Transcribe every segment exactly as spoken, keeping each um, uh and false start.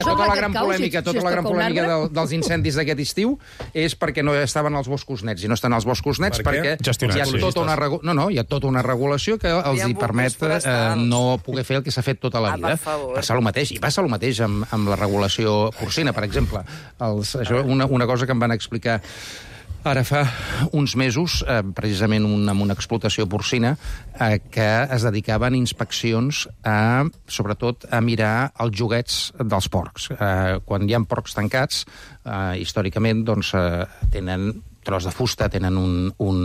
tota la gran polèmica, tota la gran polèmica del, dels incendis d'aquest estiu és perquè no estaven els boscos nets, i no estan els boscos nets per perquè hi ha, tota una regu... no, no, hi ha tota una regulació que els hi permet eh, no poder fer el que s'ha fet tota la vida. Ah, passa el mateix, i passa el mateix amb, amb la regulació porcina, per exemple. Els, això, una, una cosa que em van explicar ara fa uns mesos, eh, precisament una, amb una explotació porcina, eh, que es dedicaven inspeccions a, sobretot, a mirar els joguets dels porcs. Eh, quan hi ha porcs tancats, eh, històricament, doncs, eh, tenen tros de fusta, tenen un, un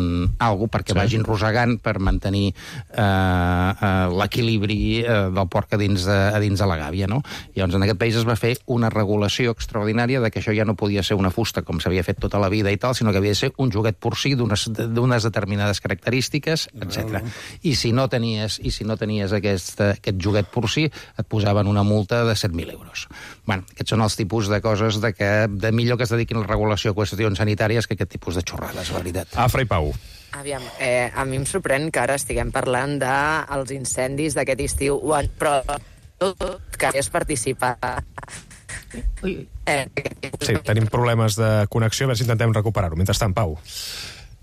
algo perquè sí. vagin rosegant per mantenir eh, eh, l'equilibri eh, del porc a dins, de, a dins de la gàbia, no? Llavors, en aquest país es va fer una regulació extraordinària de que això ja no podia ser una fusta com s'havia fet tota la vida i tal, sinó que havia de ser un joguet porcí d'unes determinades característiques, etcètera. I si no tenies, i si no tenies aquest, aquest joguet porcí, et posaven una multa de set mil euros. Bueno, aquests són els tipus de coses de que de millor que es dediquin a la regulació a qüestions sanitàries que aquest tipus de xorrades, la veritat. Afra i Pau. Aviam, eh, a mi em sorprèn que ara estiguem parlant dels incendis d'aquest estiu, però tot que és participar. Eh, sí, tenim problemes de connexió, a veure si intentem recuperar-ho. Mentrestant, Pau.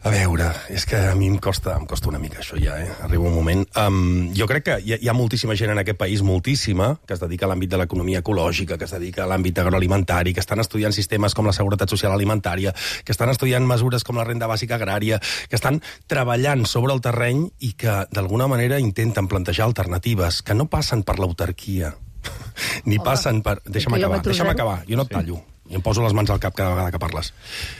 A veure, és que a mi em costa, em costa una mica això ja, eh? Arriba un moment. Um, jo crec que hi ha, hi ha moltíssima gent en aquest país, moltíssima, que es dedica a l'àmbit de l'economia ecològica, que es dedica a l'àmbit agroalimentari, que estan estudiant sistemes com la seguretat social alimentària, que estan estudiant mesures com la renda bàsica agrària, que estan treballant sobre el terreny i que, d'alguna manera, intenten plantejar alternatives que no passen per l'autarquia, ni passen per... Deixa'm acabar, deixa'm acabar, jo no et tallo. I em poso les mans al cap cada vegada que parles.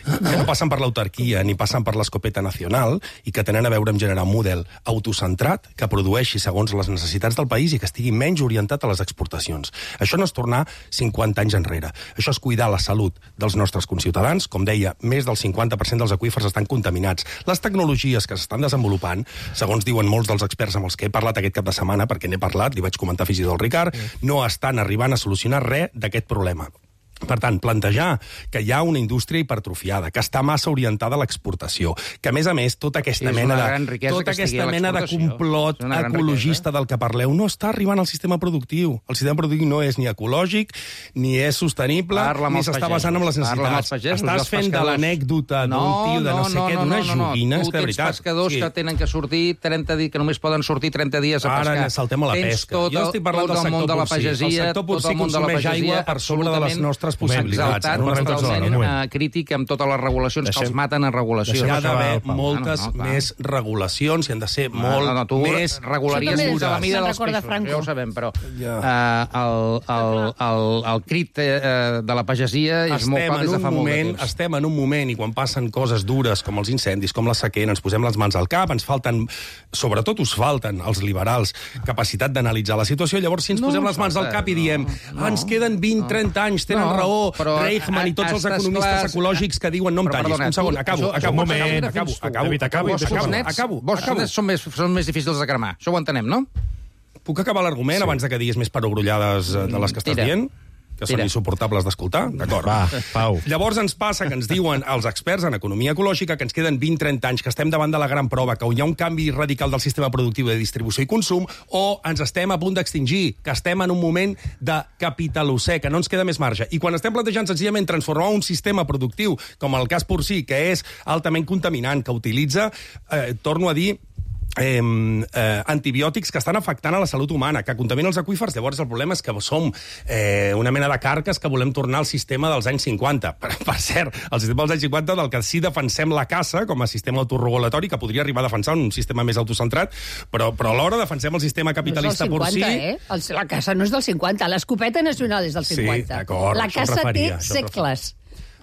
Que no passen per l'autarquia ni passen per l'escopeta nacional i que tenen a veure amb generar un model autocentrat que produeixi segons les necessitats del país i que estigui menys orientat a les exportacions. Això no és tornar cinquanta anys enrere. Això és cuidar la salut dels nostres conciutadans. Com deia, més del cinquanta per cent dels aqüífers estan contaminats. Les tecnologies que s'estan desenvolupant, segons diuen molts dels experts amb els que he parlat aquest cap de setmana, perquè n'he parlat, li vaig comentar fins i tot al Ricard, no estan arribant a solucionar res d'aquest problema. Per tant, plantejar que hi ha una indústria hipertrofiada, que està massa orientada a l'exportació, que, a més a més, tota aquesta mena de, tota aquesta mena de complot ecologista del que parleu no està arribant al sistema productiu. El sistema productiu no és ni ecològic, ni és sostenible, ni s'està basant en les necessitats. Estàs fent de l'anècdota d'un tio de no sé què, d'una joguina, és que de veritat. Tu tens pescadors que tenen que sortir trenta dies, que només poden sortir trenta dies a pescar. Ara saltem a la pesca. Jo estic parlant del sector porcí. El sector porcí consumeix aigua per sobre de les nostres possibilitats. Exaltat, totalment crític amb totes les regulacions, deixem, que els maten en regulacions. Hi ha d'haver moltes no, no, més regulacions i han de ser no, molt no, no, tu més regularies fins a la mida dels peixos, ja ho sabem, però ja. uh, el, el, el, el crit uh, de la pagesia és estem molt clar des de fa moment, molt de temps. Estem en un moment, i quan passen coses dures com els incendis, com la sequera, ens posem les mans al cap, ens falten, sobretot us falten, els liberals, capacitat d'analitzar la situació, llavors si ens no, posem les mans al cap i diem no, no, ens queden vint trenta anys, tenen no, raó, però Reichmann i tots els economistes clar, ecològics que diuen no em tallis. Un segon, acabo, acabo, un moment, acabo, acabo, David, acabo, acabo, acabo. Boscos nets són més, són més difícils de cremar. Això ho entenem, no? Puc acabar l'argument abans de que diguis més perogrullades de les que estàs dient? Que són insuportables d'escoltar? D'acord. Va, Pau. Llavors ens passa que ens diuen els experts en economia ecològica que ens queden vint trenta anys, que estem davant de la gran prova, que hi ha un canvi radical del sistema productiu de distribució i consum, o ens estem a punt d'extingir, que estem en un moment de capitalocè, que no ens queda més marge. I quan estem plantejant senzillament transformar un sistema productiu, com el cas porcí, que és altament contaminant, que utilitza, eh, torno a dir, Eh, eh, antibiòtics que estan afectant a la salut humana, que contaminen els aqüífers. Llavors el problema és que som eh, una mena de carques que volem tornar al sistema dels anys cinquanta. Per, per cert, el sistema dels anys cinquanta del que sí defensem la caça com a sistema autorregulatori, que podria arribar a defensar un sistema més autocentrat, però, però alhora defensem el sistema capitalista no porcí. Eh? El, la caça no és del cinquanta, l'escopeta nacional és del cinquanta. Sí, d'acord, la caça té segles.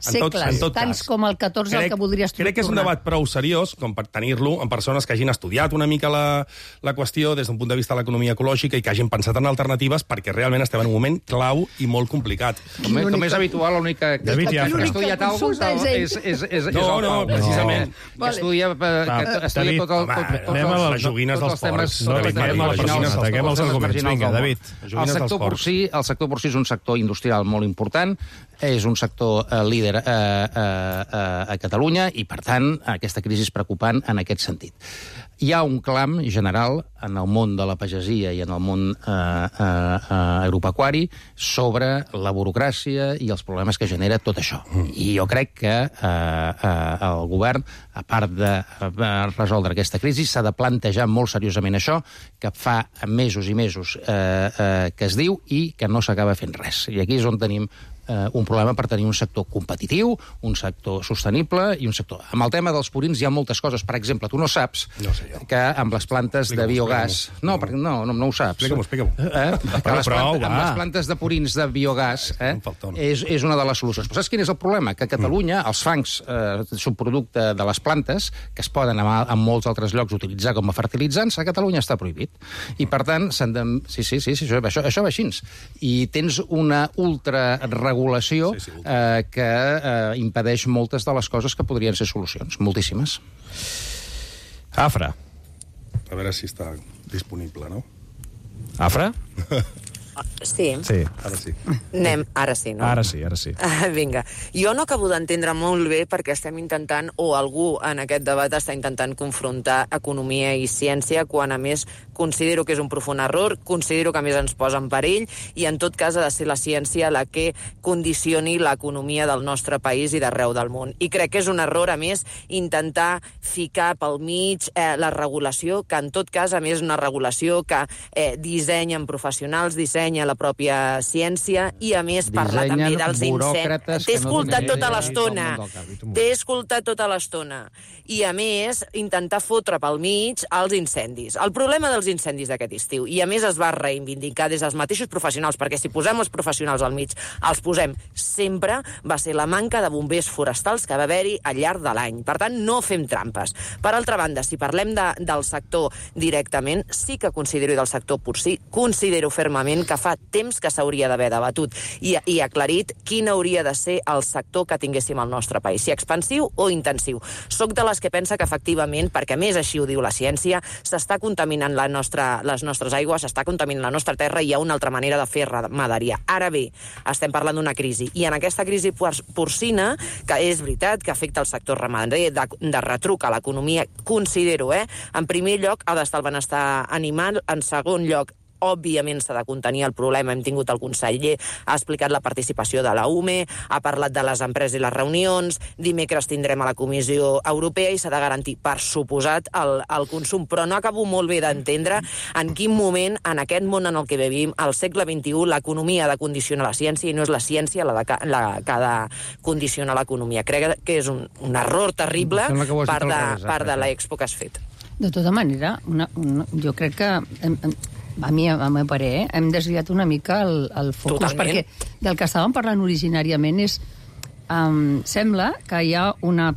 Segles, en tot, tants com el catorze crec, el que voldries tornar. Crec que és un debat prou seriós com per tenir-lo amb persones que hagin estudiat una mica la, la qüestió des d'un punt de vista de l'economia ecològica i que hagin pensat en alternatives, perquè realment estem en un moment clau i molt complicat. Com, com és habitual, l'única que ha estudiat alguna cosa és, és, és, és no, no, precisament. Que estudia, que estudia tot el... Anem a les joguines dels porcs. No, ataquem els arguments. Vinga, David. El sector porcí és un sector industrial molt important, és un sector líder líder a, a, a, a Catalunya i, per tant, aquesta crisi és preocupant en aquest sentit. Hi ha un clam general en el món de la pagesia i en el món eh, eh, agropecuari sobre la burocràcia i els problemes que genera tot això. I jo crec que eh, eh, el govern, a part de eh, resoldre aquesta crisi, s'ha de plantejar molt seriosament això, que fa mesos i mesos eh, eh, que es diu i que no s'acaba fent res. I aquí és on tenim Uh, un problema per tenir un sector competitiu, un sector sostenible i un sector... Amb el tema dels purins hi ha moltes coses. Per exemple, tu no saps no sé que amb les plantes de biogàs... No, perquè no, no, no ho saps. Explica-m'ho, explica-m'ho. Eh? Que les prou, plantes, amb les plantes de purins de biogàs eh? No és, és una de les solucions. Però saps quin és el problema? Que a Catalunya els fangs, eh, subproducte de les plantes, que es poden en, en molts altres llocs utilitzar com a fertilitzants, a Catalunya està prohibit. I, per tant, s'han de... Sí, sí, sí, sí això, això, això va així. I tens una ultraregulació sí, sí, eh, que eh, impedeix moltes de les coses que podrien ser solucions. Moltíssimes. Afra. A veure si està disponible, no? Afra? Sí. Sí. Ara sí. Anem, ara sí, no? Ara sí, ara sí. Ah, vinga. Jo no acabo d'entendre molt bé perquè estem intentant, o algú en aquest debat està intentant confrontar economia i ciència, quan a més considero que és un profund error, considero que a més ens posa en perill, i en tot cas ha de ser la ciència la que condicioni l'economia del nostre país i d'arreu del món. I crec que és un error, a més, intentar ficar pel mig eh, la regulació, que en tot cas, a més, una regulació que eh, dissenyen professionals, dissenya la pròpia ciència, i a més parlar també dels incendis. T'he escoltat no tota l'estona. T'he escoltat tota l'estona. I a més, intentar fotre pel mig els incendis. El problema dels incendis d'aquest estiu, i a més es va reivindicar des dels mateixos professionals, perquè si posem els professionals al mig, els posem sempre, va ser la manca de bombers forestals que va haver-hi al llarg de l'any. Per tant, no fem trampes. Per altra banda, si parlem de, del sector directament, sí que considero, i del sector porcí, considero fermament que fa temps que s'hauria d'haver debatut i, i aclarit quin hauria de ser el sector que tinguéssim al nostre país, si expansiu o intensiu. Soc de les que pensa que efectivament, perquè més així ho diu la ciència, s'està contaminant la nostra, les nostres aigües, s'està contaminant la nostra terra i hi ha una altra manera de fer ramaderia. Ara bé, estem parlant d'una crisi, i en aquesta crisi porcina, que és veritat que afecta el sector ramader, de, de retruc a l'economia, considero, eh, en primer lloc ha d'estar el benestar animal, en segon lloc òbviament s'ha de contenir el problema. Hem tingut el conseller, ha explicat la participació de la U M E, ha parlat de les empreses i les reunions, dimecres tindrem a la Comissió Europea i s'ha de garantir, per suposat, el, el consum. Però no acabo molt bé d'entendre en quin moment, en aquest món en el que vivim, al segle vint-i-u, l'economia ha de condicionar la ciència i no és la ciència la, de, la que ha de condicionar l'economia. Crec que és un, un error terrible part de, part de l'expo que has fet. De tota manera, una, una, jo crec que... Hem, hem, a mi, a meu parer, eh, hem desviat una mica el, el focus, Totalment. perquè del que estàvem parlant originàriament és... Um, sembla que hi ha una...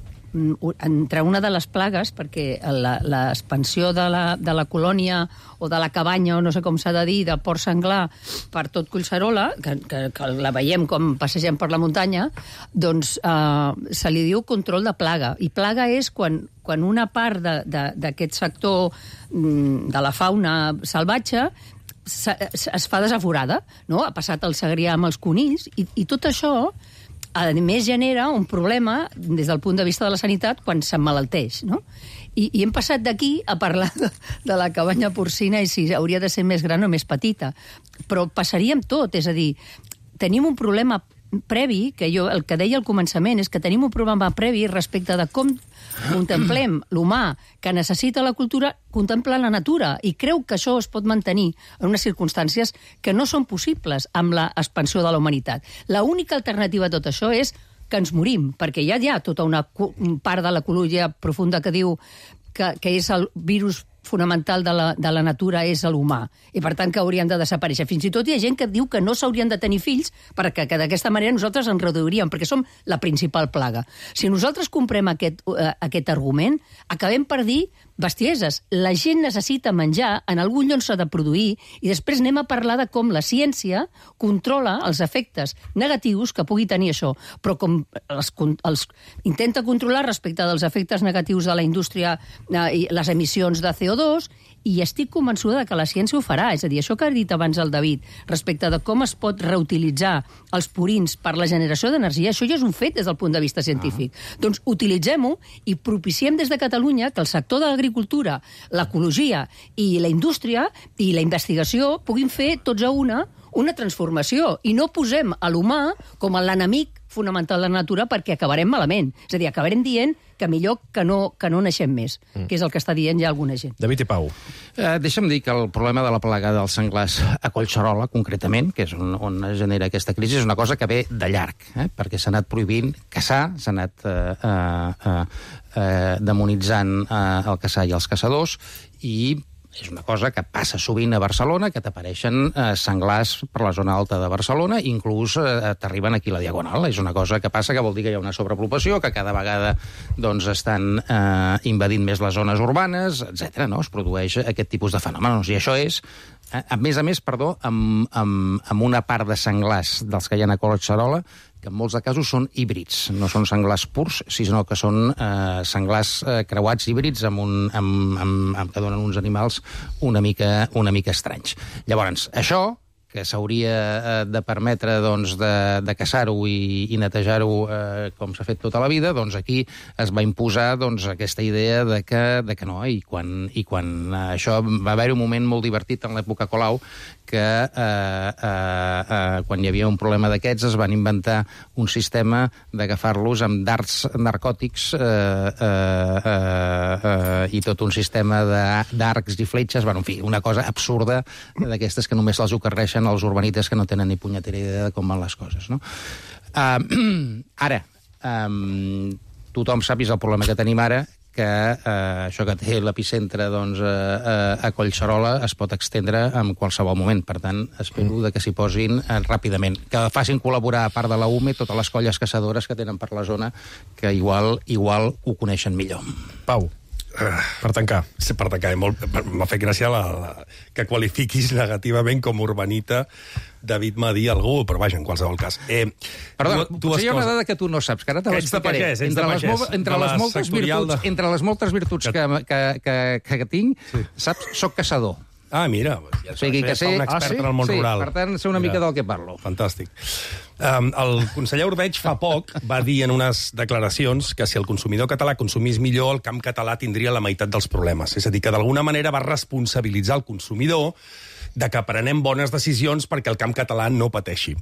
entre una de les plagues, perquè l'expansió de, la, de la colònia o de la cabanya, o no sé com s'ha de dir, de porc senglar per tot Collserola, que, que, que la veiem com passegem per la muntanya, doncs eh, se li diu control de plaga. I plaga és quan, quan una part d'aquest sector de la fauna salvatge es fa desaforada, no? Ha passat el segrià amb els conills, i, i tot això a més genera un problema des del punt de vista de la sanitat quan s'emmalalteix, no? I, i hem passat d'aquí a parlar de, de la cabanya porcina i si hauria de ser més gran o més petita. Però passaríem tot, és a dir, tenim un problema previ, que jo el que deia al començament és que tenim un problema previ respecte de com contemplem l'humà que necessita la cultura, contempla la natura, i creu que això es pot mantenir en unes circumstàncies que no són possibles amb l'expansió de la humanitat. L'única alternativa a tot això és que ens morim, perquè ja hi ha tota una part de l'ecologia profunda que diu que, que és el virus fonamental de la, de la natura és l'humà, i per tant que haurien de desaparèixer. Fins i tot hi ha gent que diu que no s'haurien de tenir fills perquè que d'aquesta manera nosaltres ens reduiríem, perquè som la principal plaga. Si nosaltres comprem aquest, uh, aquest argument, acabem per dir bestieses. La gent necessita menjar, en algun lloc s'ha de produir, i després anem a parlar de com la ciència controla els efectes negatius que pugui tenir això. Però com els, els intenta controlar respecte dels efectes negatius de la indústria eh, i les emissions de C O dos, i estic convençuda que la ciència ho farà. És a dir, això que ha dit abans el David, respecte de com es pot reutilitzar els purins per la generació d'energia, això ja és un fet des del punt de vista científic. Ah. Doncs utilitzem-ho i propiciem des de Catalunya que el sector de l'agricultura, l'ecologia i la indústria i la investigació puguin fer tots a una una transformació, i no posem a l'humà com l'enemic fonamental de la natura perquè acabarem malament. És a dir, acabarem dient que millor que no, que no naixem més, mm. que és el que està dient ja alguna gent. David i Pau. Eh, deixa'm dir que el problema de la plaga dels senglars a Collserola, concretament, que és on, on es genera aquesta crisi, és una cosa que ve de llarg, eh? perquè s'ha anat prohibint caçar, s'ha anat eh, eh, eh, demonitzant eh, el caçar i els caçadors, i és una cosa que passa sovint a Barcelona, que t'apareixen eh, senglars per la zona alta de Barcelona, inclús eh, t'arriben aquí a la Diagonal. És una cosa que passa que vol dir que hi ha una sobrepoblació, que cada vegada doncs, estan eh, invadint més les zones urbanes, etcètera. No? Es produeix aquest tipus de fenòmenos. I això és, eh, a més a més, perdó, amb, amb, amb una part de senglars dels que hi ha a Collserola, que en molts de casos són híbrids. No són senglars purs, sinó que són eh, senglars eh, creuats híbrids amb un, amb, amb, amb, que donen uns animals una mica, una mica estranys. Llavors, això, que s'hauria eh, de permetre doncs, de, de caçar-ho i, i netejar-ho eh, com s'ha fet tota la vida, doncs aquí es va imposar doncs, aquesta idea de que, de que no. I quan, i quan eh, això va haver un moment molt divertit en l'època Colau, que eh, eh, eh, quan hi havia un problema d'aquests es van inventar un sistema d'agafar-los amb dards narcòtics eh, eh, eh, eh, i tot un sistema d'arcs i fletxes, bueno, en fi, una cosa absurda d'aquestes que només les ocorreixen als urbanites que no tenen ni punyetera idea de com van les coses, no? Uh, ara, um, tothom sàpiga el problema que tenim ara, que eh, això que té l'epicentre doncs, eh, a Collserola es pot extendre en qualsevol moment. Per tant, espero de que s'hi posin eh, ràpidament. Que facin col·laborar, a part de la U M E, totes les colles caçadores que tenen per la zona, que igual, igual ho coneixen millor. Pau. Per tancar. Sí, per tancar. M'ha fet gràcia la, la, que qualifiquis negativament com urbanita David Madí algú, però vaja, en qualsevol cas. Eh, Perdó, tu, potser hi ha una dada que tu no saps, que ara te l'explicaré. Entre, les, entre, les moltes virtuts, de... entre les moltes virtuts que, que, que, que, que tinc, sí. Saps, soc caçador. Ah, mira, ja o sigui que sé, un expert ah, sí? en el món sí, rural. Per tant, sé una mira, mica del que parlo. Fantàstic. Um, el conseller Ordeig fa poc va dir en unes declaracions que si el consumidor català consumís millor, el camp català tindria la meitat dels problemes. És a dir, que d'alguna manera va responsabilitzar el consumidor de que prenem bones decisions perquè el camp català no pateixi.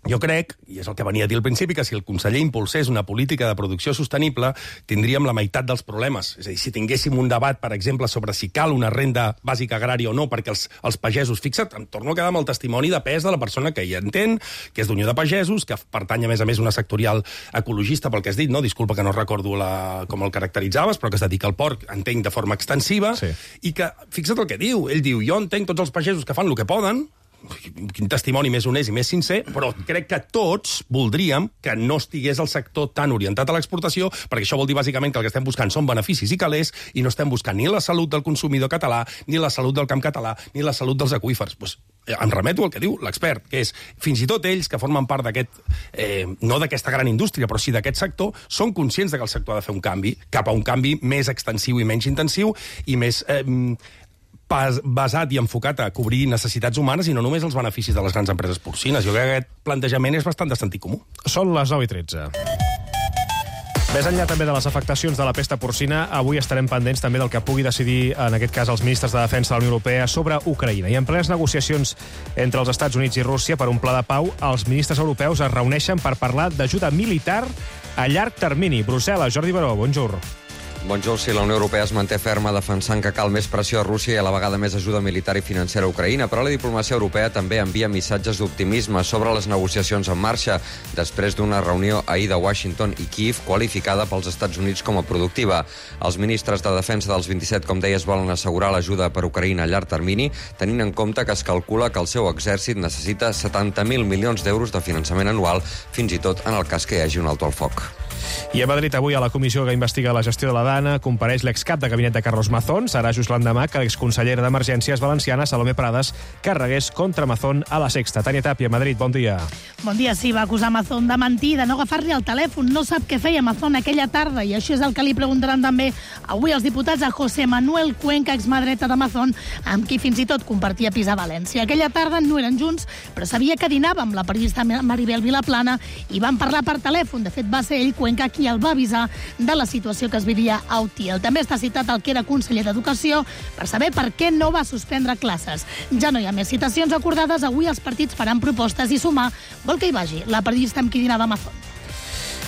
Jo crec, i és el que venia a dir al principi, que si el conseller impulsés una política de producció sostenible, tindríem la meitat dels problemes. És a dir, si tinguéssim un debat, per exemple, sobre si cal una renda bàsica agrària o no, perquè els, els pagesos... Fixa't, em torno a quedar amb el testimoni de pes de la persona que hi entén, que és d'Unió de Pagesos, que pertany, a més a més, una sectorial ecologista, pel que has dit, no? Disculpa que no recordo la, com el caracteritzaves, però que es dedica al porc, entenc, de forma extensiva, sí. I que, fixa't el que diu, ell diu, jo entenc tots els pagesos que fan el que poden, quin testimoni més honest i més sincer, però crec que tots voldríem que no estigués el sector tan orientat a l'exportació, perquè això vol dir bàsicament que el que estem buscant són beneficis i calés i no estem buscant ni la salut del consumidor català, ni la salut del camp català, ni la salut dels aqüífers. Pues, em remeto al que diu l'expert, que és fins i tot ells que formen part d'aquest, eh, no d'aquesta gran indústria, però sí d'aquest sector, són conscients de que el sector ha de fer un canvi cap a un canvi més extensiu i menys intensiu i més... Eh, basat i enfocat a cobrir necessitats humanes i no només els beneficis de les grans empreses porcines. Jo crec que aquest plantejament és bastant de sentit comú. Són les nou i tretze. Més enllà també de les afectacions de la pesta porcina, avui estarem pendents també del que pugui decidir, en aquest cas, els ministres de Defensa de la Unió Europea sobre Ucraïna. I en plenes negociacions entre els Estats Units i Rússia per un pla de pau, els ministres europeus es reuneixen per parlar d'ajuda militar a llarg termini. Brussel·les, Jordi Baró, bonjour. Bonjour, si la Unió Europea es manté ferma defensant que cal més pressió a Rússia i a la vegada més ajuda militar i financera a Ucraïna, però la diplomàcia europea també envia missatges d'optimisme sobre les negociacions en marxa després d'una reunió ahir de Washington i Kiev qualificada pels Estats Units com a productiva. Els ministres de defensa dels vint-i-set, com deies, volen assegurar l'ajuda per Ucraïna a llarg termini, tenint en compte que es calcula que el seu exèrcit necessita setanta mil milions d'euros de finançament anual, fins i tot en el cas que hi hagi un alto al foc. I a Madrid avui a la comissió que investiga la gestió de la Dana compareix l'excap de gabinet de Carlos Mazón. Serà just l'endemà que l'exconsellera d'Emergències valenciana, Salomé Prades, carregués contra Mazón a la Sexta. Tània Tàpia, Madrid, bon dia. Bon dia, sí, va acusar Mazón de mentir, de no agafar-li el telèfon. No sap què feia Mazón aquella tarda, i això és el que li preguntaran també avui els diputats a José Manuel Cuenca, exmadreta de Mazón, amb qui fins i tot compartia pis a València. Aquella tarda no eren junts, però sabia que dinava amb la periodista Maribel Vilaplana i van parlar per telèfon. De fet, va ser ell, Cuenca, qui el va avisar de la situació que es vivia a Utiel. També està citat el que era conseller d'Educació per saber per què no va suspendre classes. Ja no hi ha més citacions acordades, avui els partits faran propostes i Sumar vol que hi vagi la periodista amb qui dinava Mazón.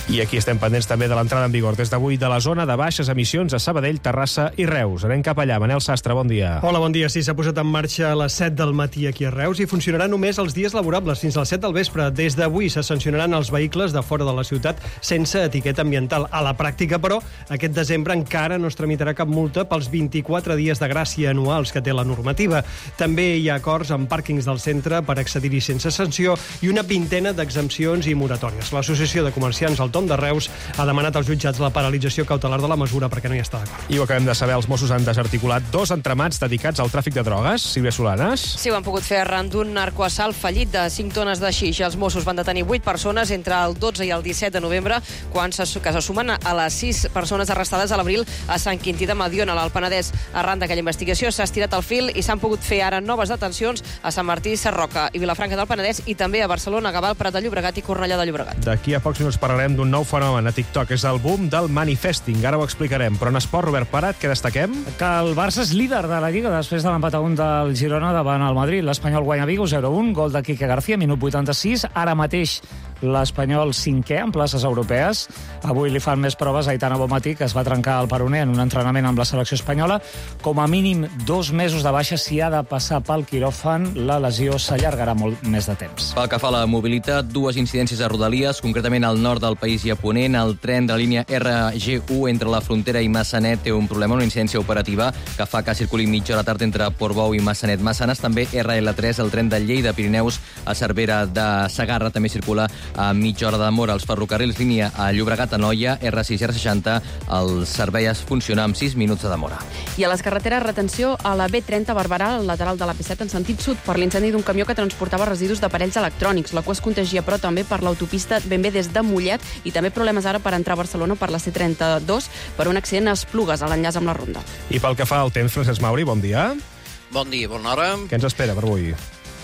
I aquí estem pendents també de l'entrada en vigor des d'avui de la zona de baixes emissions a Sabadell, Terrassa i Reus. Anem cap allà. Manel Sastre, bon dia. Hola, bon dia. Sí, s'ha posat en marxa a les set del matí aquí a Reus i funcionarà només els dies laborables fins a les set del vespre. Des d'avui se sancionaran els vehicles de fora de la ciutat sense etiqueta ambiental. A la pràctica, però, aquest desembre encara no es tramitarà cap multa pels vint-i-quatre dies de gràcia anuals que té la normativa. També hi ha acords amb pàrquings del centre per accedir-hi sense sanció i una vintena d'exempcions i moratòries. L'Associació de Comerciants al Tom de Reus ha demanat als jutjats la paralització cautelar de la mesura perquè no hi està d'acord. I ho acabem de saber, els Mossos han desarticulat dos entramats dedicats al tràfic de drogues. Sílvia Solanes. Sí, ho han pogut fer arran d'un narcoassalt fallit de cinc tones de xix. Els Mossos van detenir vuit persones entre el dotze i el disset de novembre, quan se, que se sumen a les sis persones arrestades a l'abril a Sant Quintí de Mediona, a l'Alt Penedès. Arran d'aquella investigació s'ha estirat el fil i s'han pogut fer ara noves detencions a Sant Martí, Sarroca i Vilafranca del Penedès i també a Barcelona, Gavà, Prat de Llobregat i Cornellà de Llobregat. D'aquí a pocs minuts parlarem d'un nou fenomen a TikTok. És el boom del manifesting. Ara ho explicarem. Però en esport, Robert Parat, què destaquem? Que el Barça és líder de la Lliga després de l'empat a un del Girona davant el Madrid. L'Espanyol guanya Vigo zero a un, gol de Quique García, minut vuitanta-sis. Ara mateix l'Espanyol cinquè en places europees. Avui li fan més proves a Aitana Bonmatí, que es va trencar el peroné en un entrenament amb la selecció espanyola. Com a mínim dos mesos de baixa, si ha de passar pel quiròfan, la lesió s'allargarà molt més de temps. Pel que fa a la mobilitat, dues incidències a Rodalies, concretament al nord del país i a Ponent. El tren de la línia R G u entre la Frontera i Massanet té un problema, una incidència operativa que fa que circuli mitja hora tard entre Portbou i Massanet. Massanes, també R L tres, el tren de Lleida Pirineus a Cervera de Segarra, també circula a mitja hora de demora. Els ferrocarrils línia a Llobregat, Anoia, R sis i R seixanta, el servei es funciona amb sis minuts de demora. I a les carreteres, retenció a la B trenta Barberà, al lateral de la P set en sentit sud, per l'incendi d'un camió que transportava residus d'aparells electrònics. La cua es contagia, però també per l'autopista ben bé des de Mollet, i també problemes ara per entrar a Barcelona per la C trenta-dos per un accident a Esplugues, a l'enllaç amb la Ronda. I pel que fa al temps, Francesc Mauri, bon dia. Bon dia, bona hora. Què ens espera per avui?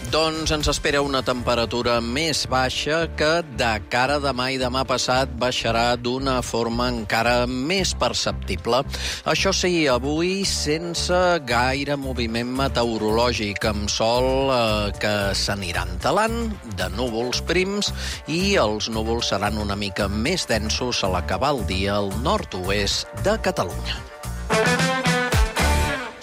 Doncs ens espera una temperatura més baixa que de cara a demà i demà passat baixarà d'una forma encara més perceptible. Això sí, avui sense gaire moviment meteorològic, amb sol eh, que s'aniran talant, de núvols prims, i els núvols seran una mica més densos a l'acabar el dia al nord-oest de Catalunya.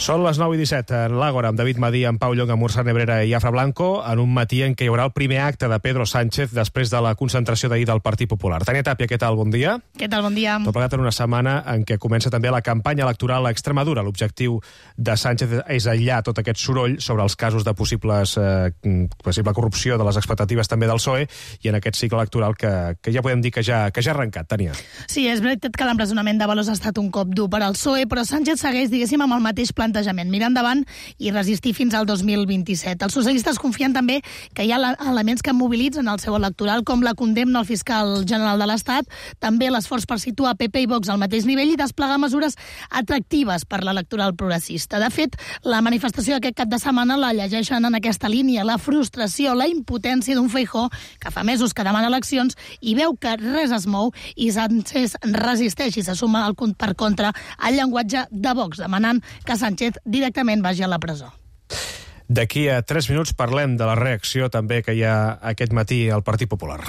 Són les nou i disset en l'Àgora, amb David Madí, en Pau Llong, amb Ursa Nebrera i Afra Blanco, en un matí en què hi haurà el primer acte de Pedro Sánchez després de la concentració d'ahir del Partit Popular. Tània Tàpia, què tal? Bon dia. Què tal? Bon dia. Tot plegat en una setmana en què comença també la campanya electoral a Extremadura. L'objectiu de Sánchez és aïllar tot aquest soroll sobre els casos de possibles, eh, possible corrupció de les expectatives també del P S O E i en aquest cicle electoral que, que ja podem dir que ja, que ja ha arrencat. Tània. Sí, és veritat que l'empresonament de Valós ha estat un cop dur per al P S O E, però Sánchez segueix, diguéssim, amb el mateix plan mirar endavant i resistir fins al dos mil vint-i-set. Els socialistes confien també que hi ha elements que mobilitzen el seu electoral, com la condemna al fiscal general de l'Estat, també l'esforç per situar P P i Vox al mateix nivell i desplegar mesures atractives per l'electoral progressista. De fet, la manifestació d'aquest cap de setmana la llegeixen en aquesta línia, la frustració, la impotència d'un Feijóo que fa mesos que demana eleccions i veu que res es mou i Sánchez resisteix i se suma al, per contra al llenguatge de Vox, demanant que Sánchez directament vagi a la presó. D'aquí a tres minuts parlem de la reacció també que hi ha aquest matí al Partit Popular.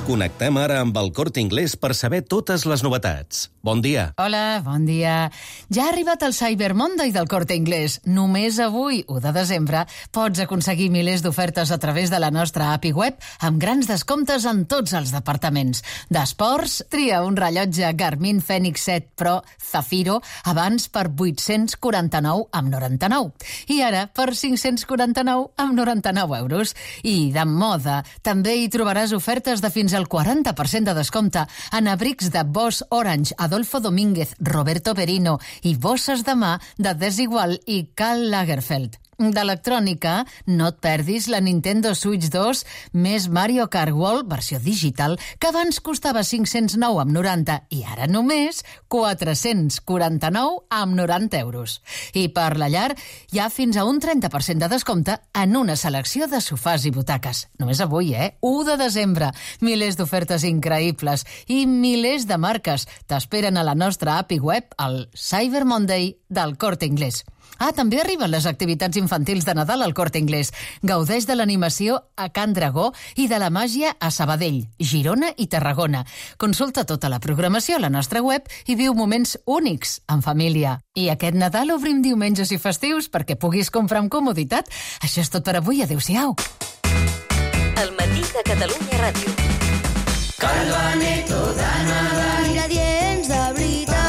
Connectem ara amb el Corte Inglés per saber totes les novetats. bon dia. Hola, bon dia. Ja ha arribat el Cyber Monday del Corte Inglés. Només avui, u de desembre, pots aconseguir milers d'ofertes a través de la nostra app i web amb grans descomptes en tots els departaments. D'esports, tria un rellotge Garmin Fenix set Pro Zafiro abans per vuit-cents quaranta-nou amb noranta-nou i ara per cinc-cents quaranta-nou amb noranta-nou euros. I de moda, també hi trobaràs ofertes de fins al quaranta per cent de descompte en abrics de Boss Orange, Adolfo Domínguez, Roberto Perino i bosses de mà de Desigual i Karl Lagerfeld. D'electrònica, no et perdis la Nintendo Switch dos més Mario Kart World, versió digital, que abans costava cinc-cents nou amb noranta i ara només quatre-cents quaranta-nou amb noranta euros. I per la llar, hi ha fins a un trenta per cent de descompte en una selecció de sofàs i butaques. Només avui, eh? u de desembre. Milers d'ofertes increïbles i milers de marques t'esperen a la nostra app i web al Cyber Monday del Corte Inglés. Ah, també arriben les activitats infantils de Nadal al Corte Inglés. Gaudeix de l'animació a Can Dragó i de la màgia a Sabadell, Girona i Tarragona. Consulta tota la programació a la nostra web i viu moments únics en família. I aquest Nadal obrim diumenges i festius perquè puguis comprar amb comoditat. Això és tot per avui. Adéu-siau. El matí de Catalunya Ràdio. Calvaneto de Nadal. Ingredients de veritat.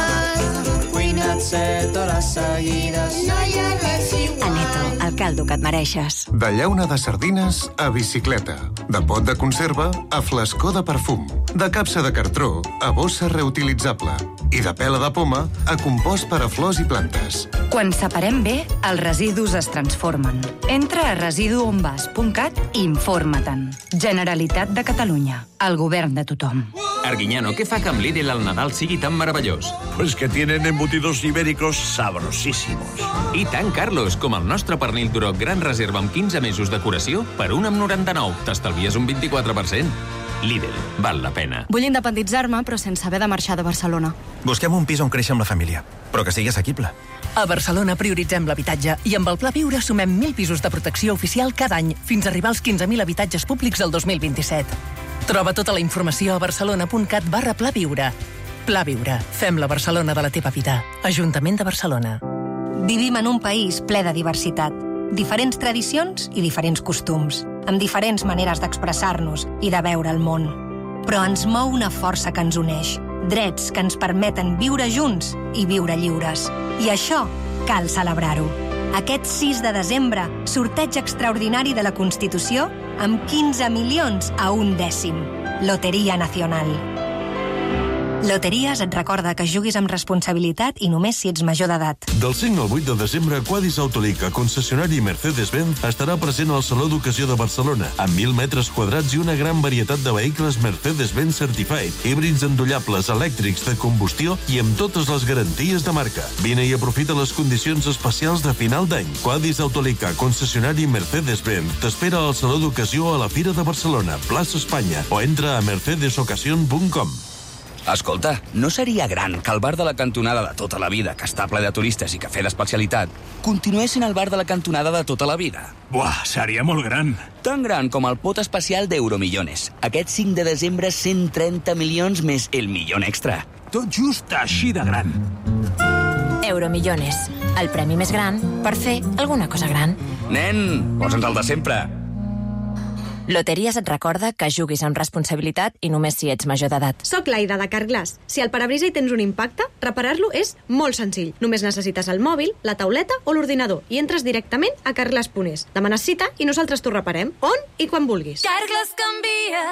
Cuina't set hores seguides. No hi ha res igual. Aneto, el caldo que et mereixes. De llauna de sardines a bicicleta. De pot de conserva a flascó de perfum. De capsa de cartró a bossa reutilitzable. I de pela de poma a compost per a flors i plantes. Quan separem bé, els residus es transformen. Entra a residu on vas punt cat i informa-te'n. Generalitat de Catalunya. El govern de tothom. Arguiñano, ¿qué fa que amb Lidl el Nadal sigui tan meravellós? Pues que tienen embutidos ibéricos sabrosísimos. I tant, Carlos, com el nostre pernil Duroc Gran Reserva amb quinze mesos de curació per un amb noranta-nou. T'estalvies un vint-i-quatre per cent. Lidl, val la pena. Vull independitzar-me, però sense haver de marxar de Barcelona. Busquem un pis on créixer amb la família, però que sigui assequible. A Barcelona prioritzem l'habitatge i amb el Pla Viure sumem mil pisos de protecció oficial cada any fins a arribar als quinze mil habitatges públics el dos mil vint-i-set. Troba tota la informació a barcelona punt cat barra Pla Viure. Pla Viure. Fem la Barcelona de la teva vida. Ajuntament de Barcelona. Vivim en un país ple de diversitat. Diferents tradicions i diferents costums, amb diferents maneres d'expressar-nos i de veure el món. Però ens mou una força que ens uneix, drets que ens permeten viure junts i viure lliures. I això cal celebrar-ho. Aquest sis de desembre, sorteig extraordinari de la Constitució amb quinze milions a un dècim. Loteria Nacional. Loteries et recorda que juguis amb responsabilitat i només si ets major d'edat. Del cinc al vuit de desembre, Quadis Autolica, concessionari Mercedes-Benz, estarà present al Saló d'Ocasió de Barcelona, amb mil metres quadrats i una gran varietat de vehicles Mercedes-Benz Certified, híbrids endollables, elèctrics, de combustió i amb totes les garanties de marca. Vine i aprofita les condicions especials de final d'any. Quadis Autolica, concessionari Mercedes-Benz, t'espera al Saló d'Ocasió a la Fira de Barcelona, plaça Espanya, o entra a mercedes ocasión punt com. Escolta, no seria gran que el bar de la cantonada de tota la vida, que està ple de turistes i cafè d'especialitat, continués sent el bar de la cantonada de tota la vida? Buah, seria molt gran. Tan gran com el pot especial d'Euromillones. Aquest cinc de desembre, cent trenta milions més el milió extra. Tot just així de gran. Euromillones, el premi més gran per fer alguna cosa gran. Nen, posa'ns el de sempre. Loteries et recorda que juguis amb responsabilitat i només si ets major d'edat. Soc l'Aida de Carglass. Si al parabrisa hi tens un impacte, reparar-lo és molt senzill. Només necessites el mòbil, la tauleta o l'ordinador i entres directament a carglass punt es. Demanes cita i nosaltres t'ho reparem on i quan vulguis. Carglass canvia,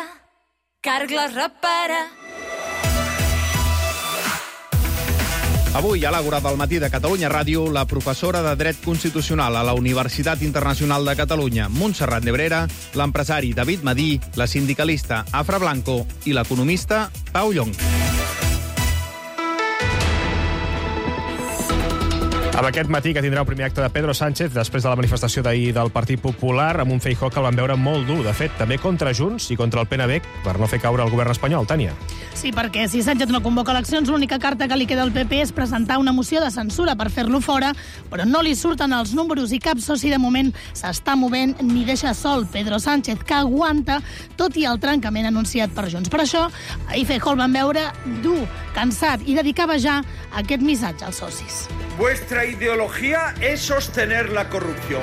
Carglass repara. Avui, a l'Àgora del matí de Catalunya Ràdio, la professora de Dret Constitucional a la Universitat Internacional de Catalunya, Montserrat Nebrera, l'empresari David Madí, la sindicalista Afra Blanco i l'economista Pau Llong. Amb aquest matí que tindrà un primer acte de Pedro Sánchez després de la manifestació d'ahir del Partit Popular, amb un Feijóo que el van veure molt dur, de fet, també contra Junts i contra el P N B, per no fer caure el govern espanyol. Tània. Sí, perquè si Sánchez no convoca eleccions, l'única carta que li queda al P P és presentar una moció de censura per fer-lo fora, però no li surten els números i cap soci de moment s'està movent ni deixa sol Pedro Sánchez, que aguanta tot i el trencament anunciat per Junts. Per això, ahir Feijóo el van veure dur, cansat, i dedicava ja aquest missatge als socis. Vuestra ideología es sostener la corrupción.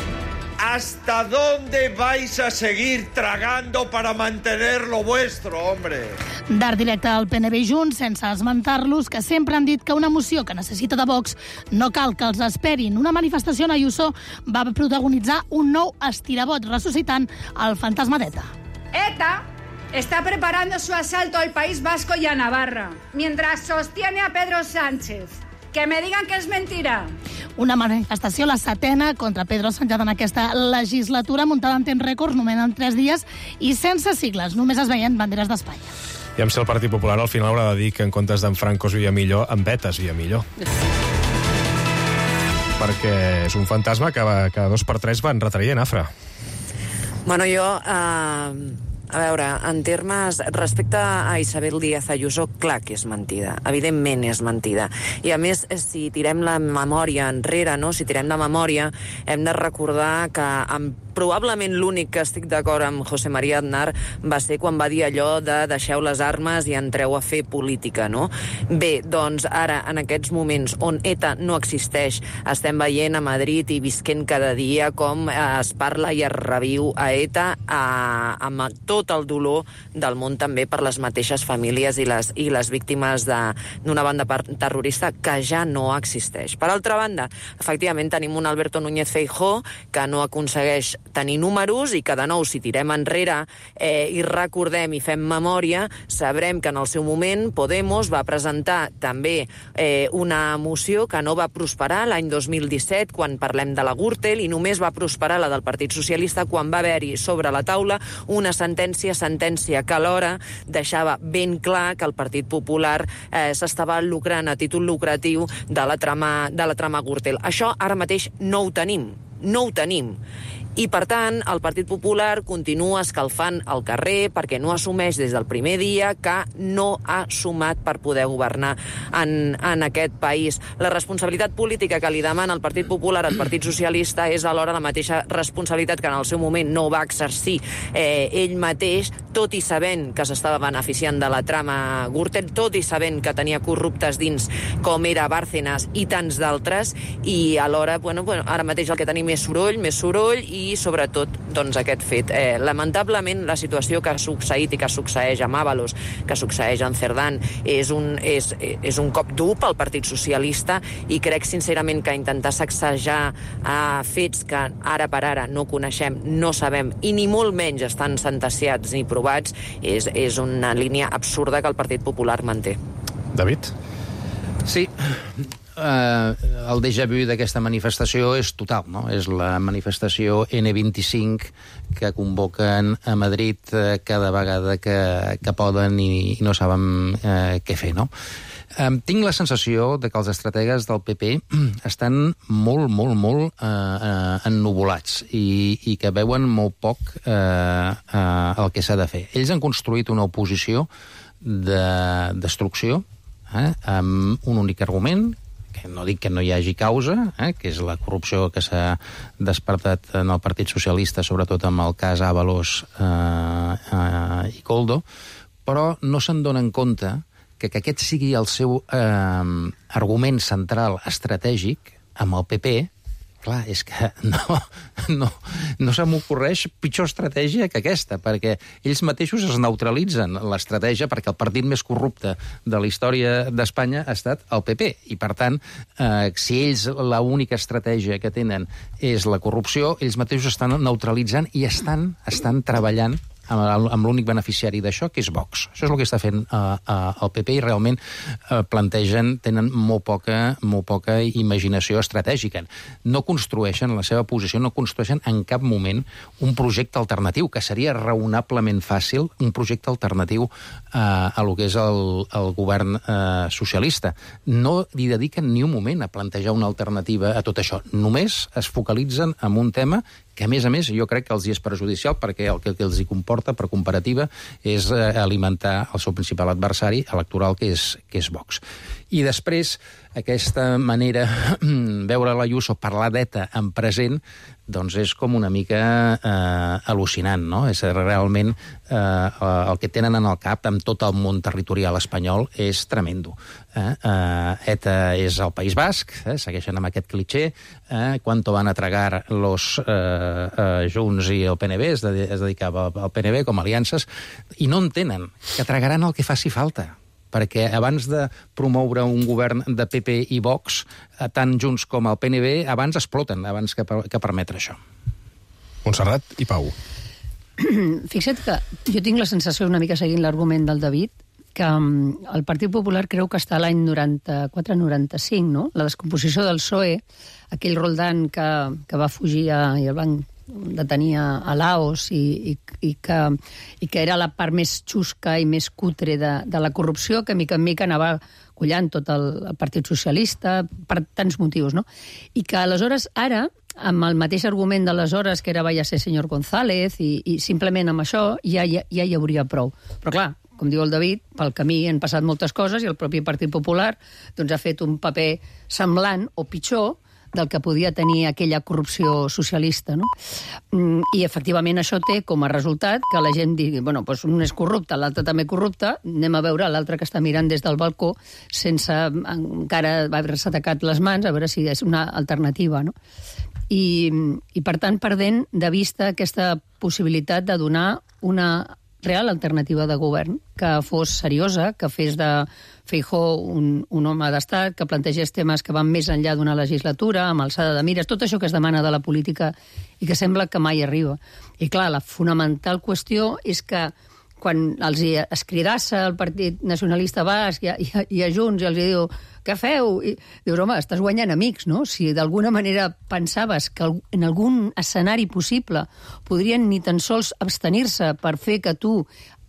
¿Hasta dónde vais a seguir tragando para mantener lo vuestro, hombre? D'art directe al P N B i Junts, sense esmentar-los, que sempre han dit que una moció que necessita de Vox no cal que els esperin. Una manifestació on Ayuso va protagonitzar un nou estirabot, ressuscitant el fantasma d'ETA. ETA está preparando su asalto al País Vasco y a Navarra, mientras sostiene a Pedro Sánchez. Que me digan que és mentira. Una manifestació, la setena, contra Pedro Sánchez en aquesta legislatura, muntada en temps rècords, només en tres dies, i sense sigles, només es veien banderes d'Espanya. I amb si el Partit Popular al final haurà de dir que en comptes d'en Franco es via millor, en Beta es via millor. Perquè és un fantasma que cada dos per tres van retraient, Afra. Bueno, jo... Uh... A veure, en termes... Respecte a Isabel Díaz Ayuso, clar que és mentida. Evidentment és mentida. I a més, si tirem la memòria enrere, no? Si tirem la memòria, hem de recordar que amb probablement l'únic que estic d'acord amb José María Aznar va ser quan va dir allò de deixeu les armes i entreu a fer política, no? Bé, doncs ara, en aquests moments on ETA no existeix, estem veient a Madrid i visquent cada dia com es parla i es reviu a ETA a, amb tot el dolor del món també per les mateixes famílies i les, i les víctimes d'una banda terrorista que ja no existeix. Per altra banda, efectivament tenim un Alberto Núñez Feijóo que no aconsegueix tenir números i que, de nou, si tirem enrere eh, i recordem i fem memòria, sabrem que en el seu moment Podemos va presentar també eh, una moció que no va prosperar l'any dos mil disset, quan parlem de la Gürtel, i només va prosperar la del Partit Socialista quan va haver-hi sobre la taula una sentència, sentència que alhora deixava ben clar que el Partit Popular eh, s'estava lucrant a títol lucratiu de la trama, de la trama Gürtel. Això ara mateix no ho tenim, no ho tenim. I, per tant, el Partit Popular continua escalfant el carrer perquè no assumeix des del primer dia que no ha sumat per poder governar en, en aquest país. La responsabilitat política que li demana el Partit Popular al Partit Socialista és alhora la mateixa responsabilitat que en el seu moment no va exercir eh, ell mateix, tot i sabent que s'estava beneficiant de la trama Gürtel, tot i sabent que tenia corruptes dins com era Bárcenas i tants d'altres, i alhora, bueno, bueno, ara mateix el que tenim és soroll, més soroll, i i sobretot doncs, aquest fet. Eh, lamentablement la situació que ha succeït i que succeeix amb Ábalos, que succeeix en Cerdán, és un, és, és un cop dur pel Partit Socialista, i crec sincerament que intentar sacsejar eh, fets que ara per ara no coneixem, no sabem, i ni molt menys estan sentenciats ni provats, és, és una línia absurda que el Partit Popular manté. David? Sí. Uh, el déjà vu d'aquesta manifestació és total, no? És la manifestació ene vint-i-cinc que convoquen a Madrid uh, cada vegada que, que poden i, i no saben uh, què fer, no? Um, tinc la sensació de que els estrategues del P P estan molt, molt, molt uh, uh, ennuvolats i, i que veuen molt poc uh, uh, el que s'ha de fer. Ells han construït una oposició de destrucció eh, amb un únic argument, que no dic que no hi hagi causa, eh, que és la corrupció que s'ha despertat en el Partit Socialista, sobretot amb el cas Ábalos eh, eh, i Koldo, però no se'n donen compte que, que aquest sigui el seu eh, argument central estratègic amb el P P. Clar, és que no, no, no se m'ocorreix pitjor estratègia que aquesta, perquè ells mateixos es neutralitzen l'estratègia, perquè el partit més corrupte de la història d'Espanya ha estat el P P, i per tant, eh, si ells l'única estratègia que tenen és la corrupció, ells mateixos estan neutralitzant i estan, estan treballant amb, amb l'únic beneficiari d'això, que és Vox. Això és el que està fent uh, uh, el P P i realment uh, plantegen, tenen molt poca, molt poca imaginació estratègica. No construeixen, la seva posició, no construeixen en cap moment un projecte alternatiu, que seria raonablement fàcil, un projecte alternatiu uh, a lo que és el, el govern uh, socialista. No li dediquen ni un moment a plantejar una alternativa a tot això. Només es focalitzen en un tema que, a més a més, jo crec que els hi és perjudicial perquè el que, que els hi comporta, per comparativa, és eh, alimentar el seu principal adversari electoral, que és, que és Vox. I després, aquesta manera veure l'Ayuso parlar d'ETA en present, doncs és com una mica eh, al·lucinant, no? És realment eh, el que tenen en el cap amb tot el món territorial espanyol és tremendo. Eh? Eh, ETA és el País Basc, eh? Segueixen amb aquest cliché, eh? Cuánto van a tragar los eh, eh, Junts i el P N V, es, de, es dedicava al P N V com a aliances, i no entenen que tragaran el que faci falta, perquè abans de promoure un govern de P P i Vox, tant Junts com el P N V, abans exploten, abans que, que permetre això. Montserrat i Pau. Fixa't que jo tinc la sensació, una mica seguint l'argument del David, que el Partit Popular creu que està a l'any noranta-quatre noranta-cinc, no? La descomposició del P S O E, aquell Roldán que, que va fugir a, i el van detenir a Laos i, i, i, que, i que era la part més xusca i més cutre de, de la corrupció, que mica en mica anava collant tot el, el Partit Socialista per tants motius, no? I que aleshores ara, amb el mateix argument d'aleshores, que era vaya ser senyor González, i, i simplement amb això ja, ja, ja hi hauria prou. Però clar, com diu el David, pel camí han passat moltes coses i el propi Partit Popular doncs, ha fet un paper semblant o pitjor del que podia tenir aquella corrupció socialista, no? I, efectivament, això té com a resultat que la gent digui, bueno, doncs un és corrupte, l'altre també corrupte, anem a veure l'altre que està mirant des del balcó sense encara haver-se atacat les mans, a veure si és una alternativa, no? I, i per tant, perdent de vista aquesta possibilitat de donar una real alternativa de govern, que fos seriosa, que fes de Feijóo un, un home d'estat, que plantegés temes que van més enllà d'una legislatura, amb alçada de mires, tot això que es demana de la política i que sembla que mai arriba. I clar, la fonamental qüestió és que quan els hi escridassa el Partit Nacionalista Basc i a, i a, i a Junts i els hi diu què feu? I dius, home, estàs guanyant amics, no? Si d'alguna manera pensaves que en algun escenari possible podrien ni tan sols abstenir-se per fer que tu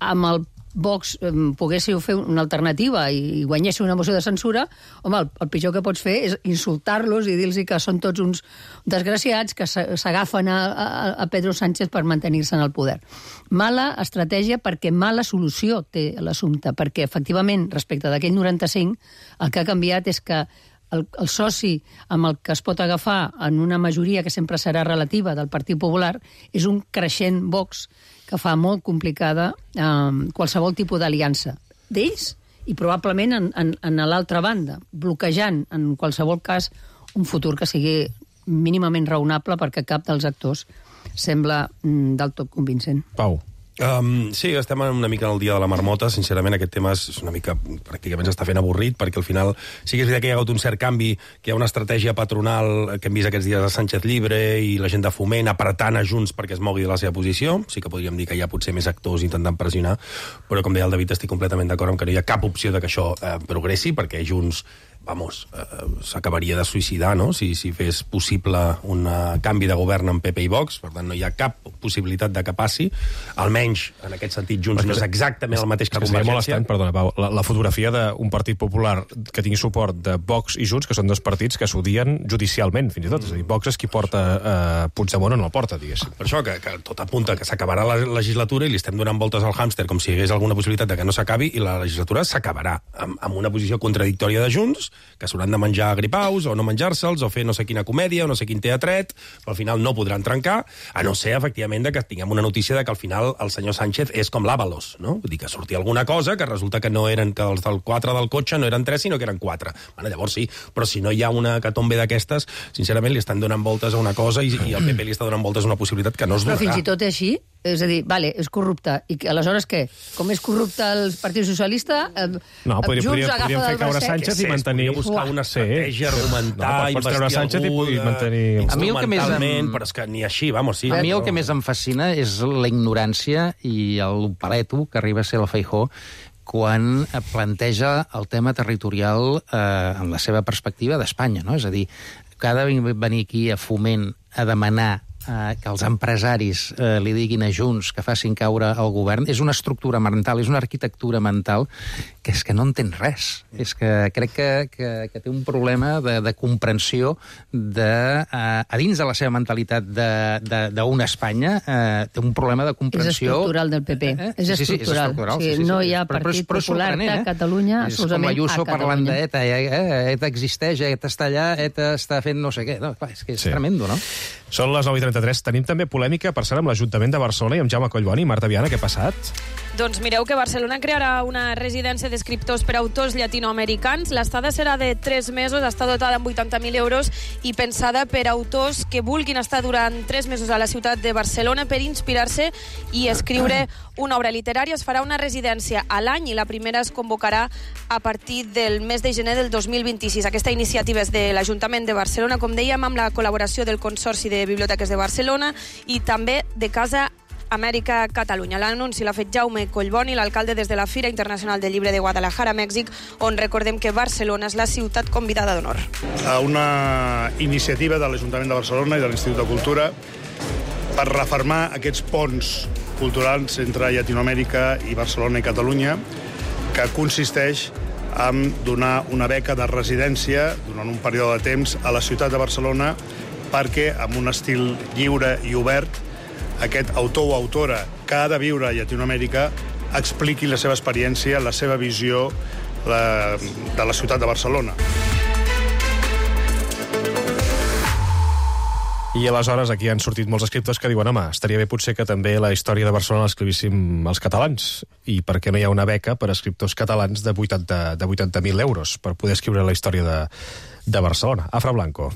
amb el Vox eh, poguéssiu fer una alternativa i guanyéssiu una moció de censura, home, el, el pitjor que pots fer és insultar-los i dir-los que són tots uns desgraciats que s'agafen a, a, a Pedro Sánchez per mantenir-se en el poder. Mala estratègia perquè mala solució té l'assumpte, perquè efectivament, respecte d'aquell noranta-cinc, el que ha canviat és que el, el soci amb el que es pot agafar en una majoria que sempre serà relativa del Partit Popular és un creixent Vox que fa molt complicada eh, qualsevol tipus d'aliança d'ells i probablement en, en, en l'altra banda, bloquejant en qualsevol cas un futur que sigui mínimament raonable perquè cap dels actors sembla mm, del tot convincent. Pau. Um, sí, estem una mica en el dia de la marmota. Sincerament, aquest tema és una mica, pràcticament s'està fent avorrit, perquè al final sí que és veritat que hi ha hagut un cert canvi, que hi ha una estratègia patronal que hem vist aquests dies a Sánchez Libre i la gent de Foment apretant a Junts perquè es mogui de la seva posició. Sí que podríem dir que hi ha potser més actors intentant pressionar, però com deia el David, estic completament d'acord amb que no hi ha cap opció de que això eh, progressi, perquè Junts vamos, eh, s'acabaria de suïcidar, no?, si, si fes possible un uh, canvi de govern en P P i Vox. Per tant, no hi ha cap possibilitat de que passi. Almenys, en aquest sentit, Junts no és exactament el mateix que Convergència. Molt estrany, perdona, Pau, la, la fotografia d'un partit popular que tingui suport de Vox i Junts, que són dos partits que s'odien judicialment, fins i tot. És a dir, Vox és qui porta eh, Puigdemont en la porta, diguéssim. Per això, que, que tot apunta que s'acabarà la legislatura i li estem donant voltes al hàmster com si hi hagués alguna possibilitat de que no s'acabi, i la legislatura s'acabarà amb, amb una posició contradictòria de Junts, que s'hauran de menjar gripaus o no menjar-se'ls o fer no sé quina comèdia o no sé quin teatret, però al final no podran trencar, a no ser, efectivament, de que tinguem una notícia de que al final el senyor Sánchez és com l'Ábalos, no? Vull dir que sortia alguna cosa que resulta que no eren, que els del quatre del cotxe no eren tres, sinó que eren quatre. Bueno, llavors sí, però si no hi ha una catombe d'aquestes, sincerament li estan donant voltes a una cosa i, i el P P li està donant voltes a una possibilitat que no es donarà. Però fins i tot així, És a dir, vale, és corrupte. I que, aleshores què? Com és corrupte el Partit Socialista, eh, no, podria, Junts podria, agafa podríem fer del caure bracet. Sánchez i mantenir... Podria buscar una estratègia, argumentar, no, pots treure Sánchez i, i mantenir... A mi el que més em... però és que ni així, vamos, sí. A mi el que més em fascina és la ignorància i el paleto que arriba a ser la Feijóo quan planteja el tema territorial eh, en la seva perspectiva d'Espanya, no? És a dir, que ha de venir aquí a Foment a demanar eh, que els empresaris eh, li diguin a Junts que facin caure el govern, és una estructura mental, és una arquitectura mental que és que no entén res. És que crec que, que, que té un problema de, de comprensió de, eh, a dins de la seva mentalitat d'una Espanya, eh, té un problema de comprensió... És estructural del P P. Eh? És estructural. Sí, sí, és estructural. Sí, sí, sí. No hi ha Partit però, però, Popular de eh? Catalunya, és com l'Ayuso parlant d'ETA, eh? ETA existeix, ETA està allà, ETA està fent no sé què. No, clar, és que és sí. tremendo, no? Són les nou i trenta-tres. Tenim també polèmica, per cert, amb l'Ajuntament de Barcelona i amb Jaume Collboni. Marta Viana, què ha passat? Doncs mireu que Barcelona crearà una residència d'escriptors per a autors llatinoamericans. L'estada serà de tres mesos, està dotada amb vuitanta mil euros i pensada per a autors que vulguin estar durant tres mesos a la ciutat de Barcelona per inspirar-se i escriure una obra literària. Es farà una residència a l'any i la primera es convocarà a partir del mes de gener del dos mil vint-i-sis. Aquesta iniciativa és de l'Ajuntament de Barcelona, com dèiem, amb la col·laboració del Consorci de Biblioteques de Barcelona i també de Casa Amèrica Catalunya. L'anunci l'ha fet Jaume Collboni, l'alcalde, des de la Fira Internacional del Llibre de Guadalajara, Mèxic, on recordem que Barcelona és la ciutat convidada d'honor. Una iniciativa de l'Ajuntament de Barcelona i de l'Institut de Cultura per refermar aquests ponts culturals entre Llatinoamèrica i Barcelona i Catalunya, que consisteix en donar una beca de residència durant un període de temps a la ciutat de Barcelona perquè, amb un estil lliure i obert, aquest autor o autora que ha de viure a Llatinoamèrica expliqui la seva experiència, la seva visió la, de la ciutat de Barcelona. I aleshores aquí han sortit molts escriptors que diuen home, estaria bé potser que també la història de Barcelona l'escrivíssim els catalans. I per què no hi ha una beca per a escriptors catalans de vuitanta mil euros per poder escriure la història de, de Barcelona? Afra Blanco.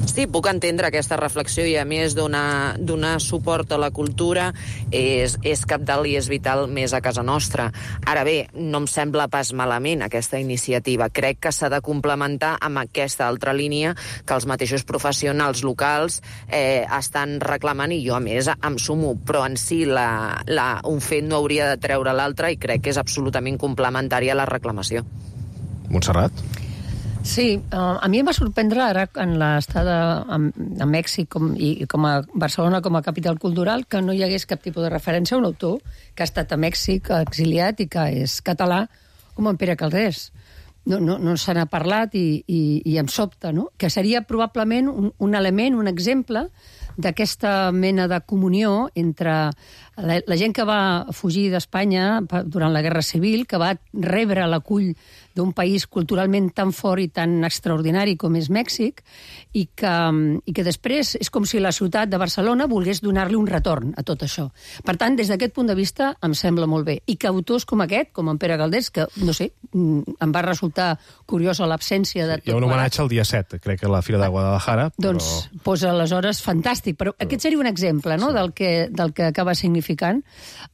Sí, puc entendre aquesta reflexió i a més donar, donar suport a la cultura és, és cabdal i és vital més a casa nostra. Ara bé, no em sembla pas malament aquesta iniciativa. Crec que s'ha de complementar amb aquesta altra línia que els mateixos professionals locals eh, estan reclamant i jo a més em sumo, però en si la, la, un fet no hauria de treure l'altre i crec que és absolutament complementària a la reclamació. Montserrat? Sí, uh, a mi em va sorprendre ara en l'estada a, a Mèxic com, i com a Barcelona com a capital cultural que no hi hagués cap tipus de referència a un autor que ha estat a Mèxic exiliat i que és català com en Pere Calders. No, no, no se n'ha parlat i, i, i em sobta, no? Que seria probablement un, un element, un exemple d'aquesta mena de comunió entre la, la gent que va fugir d'Espanya durant la Guerra Civil, que va rebre l'acull d'un país culturalment tan fort i tan extraordinari com és Mèxic, i que, i que després és com si la ciutat de Barcelona volgués donar-li un retorn a tot això. Per tant, des d'aquest punt de vista, em sembla molt bé. I que autors com aquest, com en Pere Calders, que, no sé, em va resultar curiosa l'absència de tot... Hi ha un homenatge al dia set, crec que a la Fira de Guadalajara, però... Doncs, doncs aleshores, fantàstic. Però aquest seria un exemple, no?, sí, del que, del que acaba significant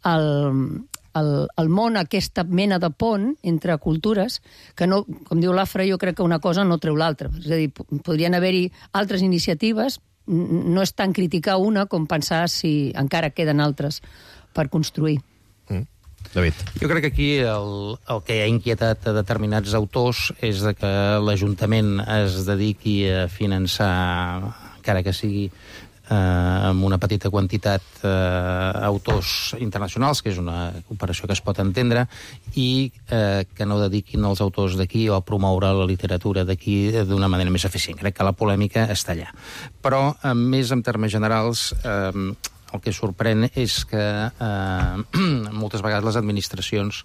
el... El, el món, aquesta mena de pont entre cultures, que no, com diu l'Afra, jo crec que una cosa no treu l'altra. És a dir, podrien haver-hi altres iniciatives, no és tant criticar una com pensar si encara queden altres per construir. Mm. David. Jo crec que aquí el, el que ha inquietat a determinats autors és de que l'Ajuntament es dediqui a finançar, encara que sigui Eh, amb una petita quantitat eh, autors internacionals, que és una operació que es pot entendre, i eh, que no dediquin els autors d'aquí o a promoure la literatura d'aquí d'una manera més eficient. Crec que la polèmica està allà. Però, eh, més en termes generals, eh, el que sorprèn és que eh, moltes vegades les administracions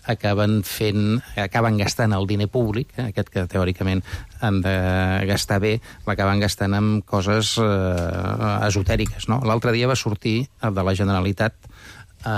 acaben fent, acaben gastant el diner públic, eh, aquest que teòricament han de gastar bé, l'acaben gastant amb coses eh, esotèriques, no? L'altre dia va sortir de la Generalitat eh,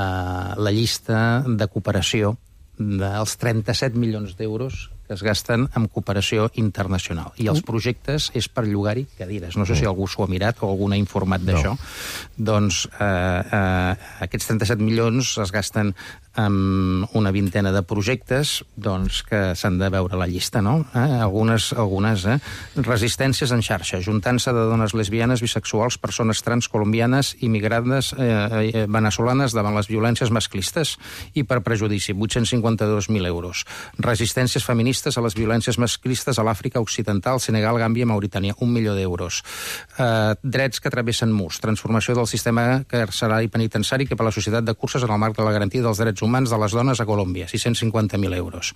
la llista de cooperació dels trenta-set milions d'euros que es gasten en cooperació internacional. I els projectes és per llogar-hi cadires. No sé si algú s'ho ha mirat o algú n'ha informat d'això. No. Doncs eh, eh, aquests trenta-set milions es gasten amb una vintena de projectes doncs, que s'han de veure a la llista, no? Eh? Algunes, algunes eh? resistències en xarxa, juntant-se de dones lesbianes, bisexuals, persones trans, colombianes, immigrades eh, eh, venezolanes davant les violències masclistes i per prejudici, vuit-cents cinquanta-dos mil euros. Resistències feministes a les violències masclistes a l'Àfrica Occidental, Senegal, Gàmbia, Mauritània, un milió d'euros. Eh, drets que travessen murs, transformació del sistema carcerari penitenciari que per la societat de curses en el marc de la garantia dels drets humans de les dones a Colòmbia, sis-cents cinquanta mil euros.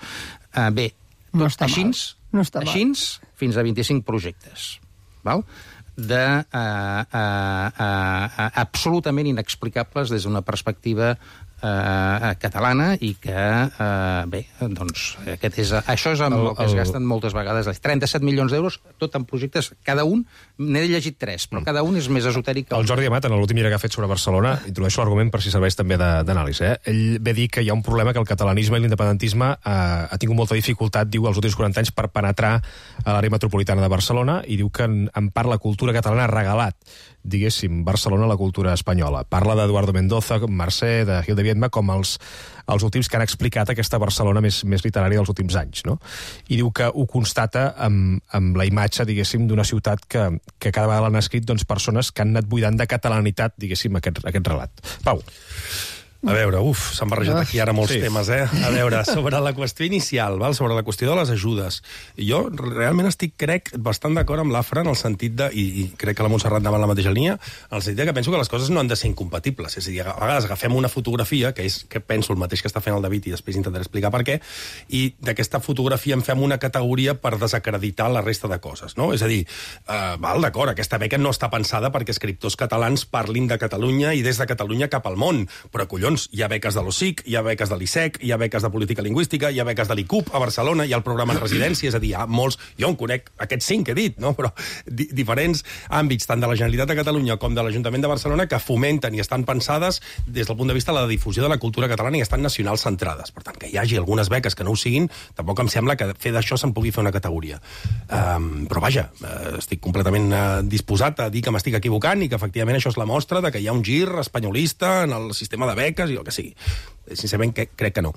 Uh, bé, no tot així, no així fins a vint-i-cinc projectes, val? de uh, uh, uh, uh, absolutament inexplicables des d'una perspectiva uh, catalana i que, uh, bé, doncs, aquest és, això és amb el, el que es gasten moltes vegades. trenta-set milions d'euros, tot en projectes, cada un, n'he llegit tres, però cada un és més esotèric. El Jordi Amat, en l'últim llibre que ha fet sobre Barcelona, introdueixo l'argument per si serveix també d'anàlisi. Eh? Ell ve dir que hi ha un problema que el catalanisme i l'independentisme eh, ha tingut molta dificultat, diu, els últims quaranta anys per penetrar a l'àrea metropolitana de Barcelona i diu que en, en part la cultura catalana ha regalat, diguéssim, Barcelona a la cultura espanyola. Parla d'Eduardo Mendoza, Mercè, de Gil de Viedma, com els, els últims que han explicat aquesta Barcelona més, més literària dels últims anys, no? I diu que ho constata amb, amb la imatge, diguéssim, d'una ciutat que, que cada vegada l'han escrit doncs, persones que han anat buidant de catalanitat, diguéssim, aquest, aquest relat. Pau. A veure, uf, s'han barrejat aquí ara molts sí. temes, eh? A veure, sobre la qüestió inicial, val? Sobre la qüestió de les ajudes. Jo realment estic, crec, bastant d'acord amb l'Afra en el sentit de, i, i crec que la Montserrat anava en la mateixa línia, en el sentit que penso que les coses no han de ser incompatibles. És a dir, a vegades agafem una fotografia, que és que penso el mateix que està fent el David, i després intentaré explicar per què, i d'aquesta fotografia en fem una categoria per desacreditar la resta de coses, no? És a dir, eh, val, d'acord, aquesta beca no està pensada perquè escriptors catalans parlin de Catalunya i des de Catalunya cap al món, però collons, hi ha beques de l'O S I C, hi ha beques de l'I S E C, hi ha beques de política lingüística, hi ha beques de l'I C U P a Barcelona, hi ha el programa de residència, és a dir, hi ha molts, jo en conec aquests cinc que he dit, no? Però di diferents àmbits, tant de la Generalitat de Catalunya com de l'Ajuntament de Barcelona, que fomenten i estan pensades des del punt de vista de la difusió de la cultura catalana i estan nacional centrades. Per tant, que hi hagi algunes beques que no ho siguin, tampoc em sembla que fer d'això se'n pugui fer una categoria. Um, però vaja, uh, estic completament uh, disposat a dir que m'estic equivocant i que efectivament això és la mostra de que hi ha un gir espanyolista en el sistema de beques i el que sigui. Sincerament, que, crec que no.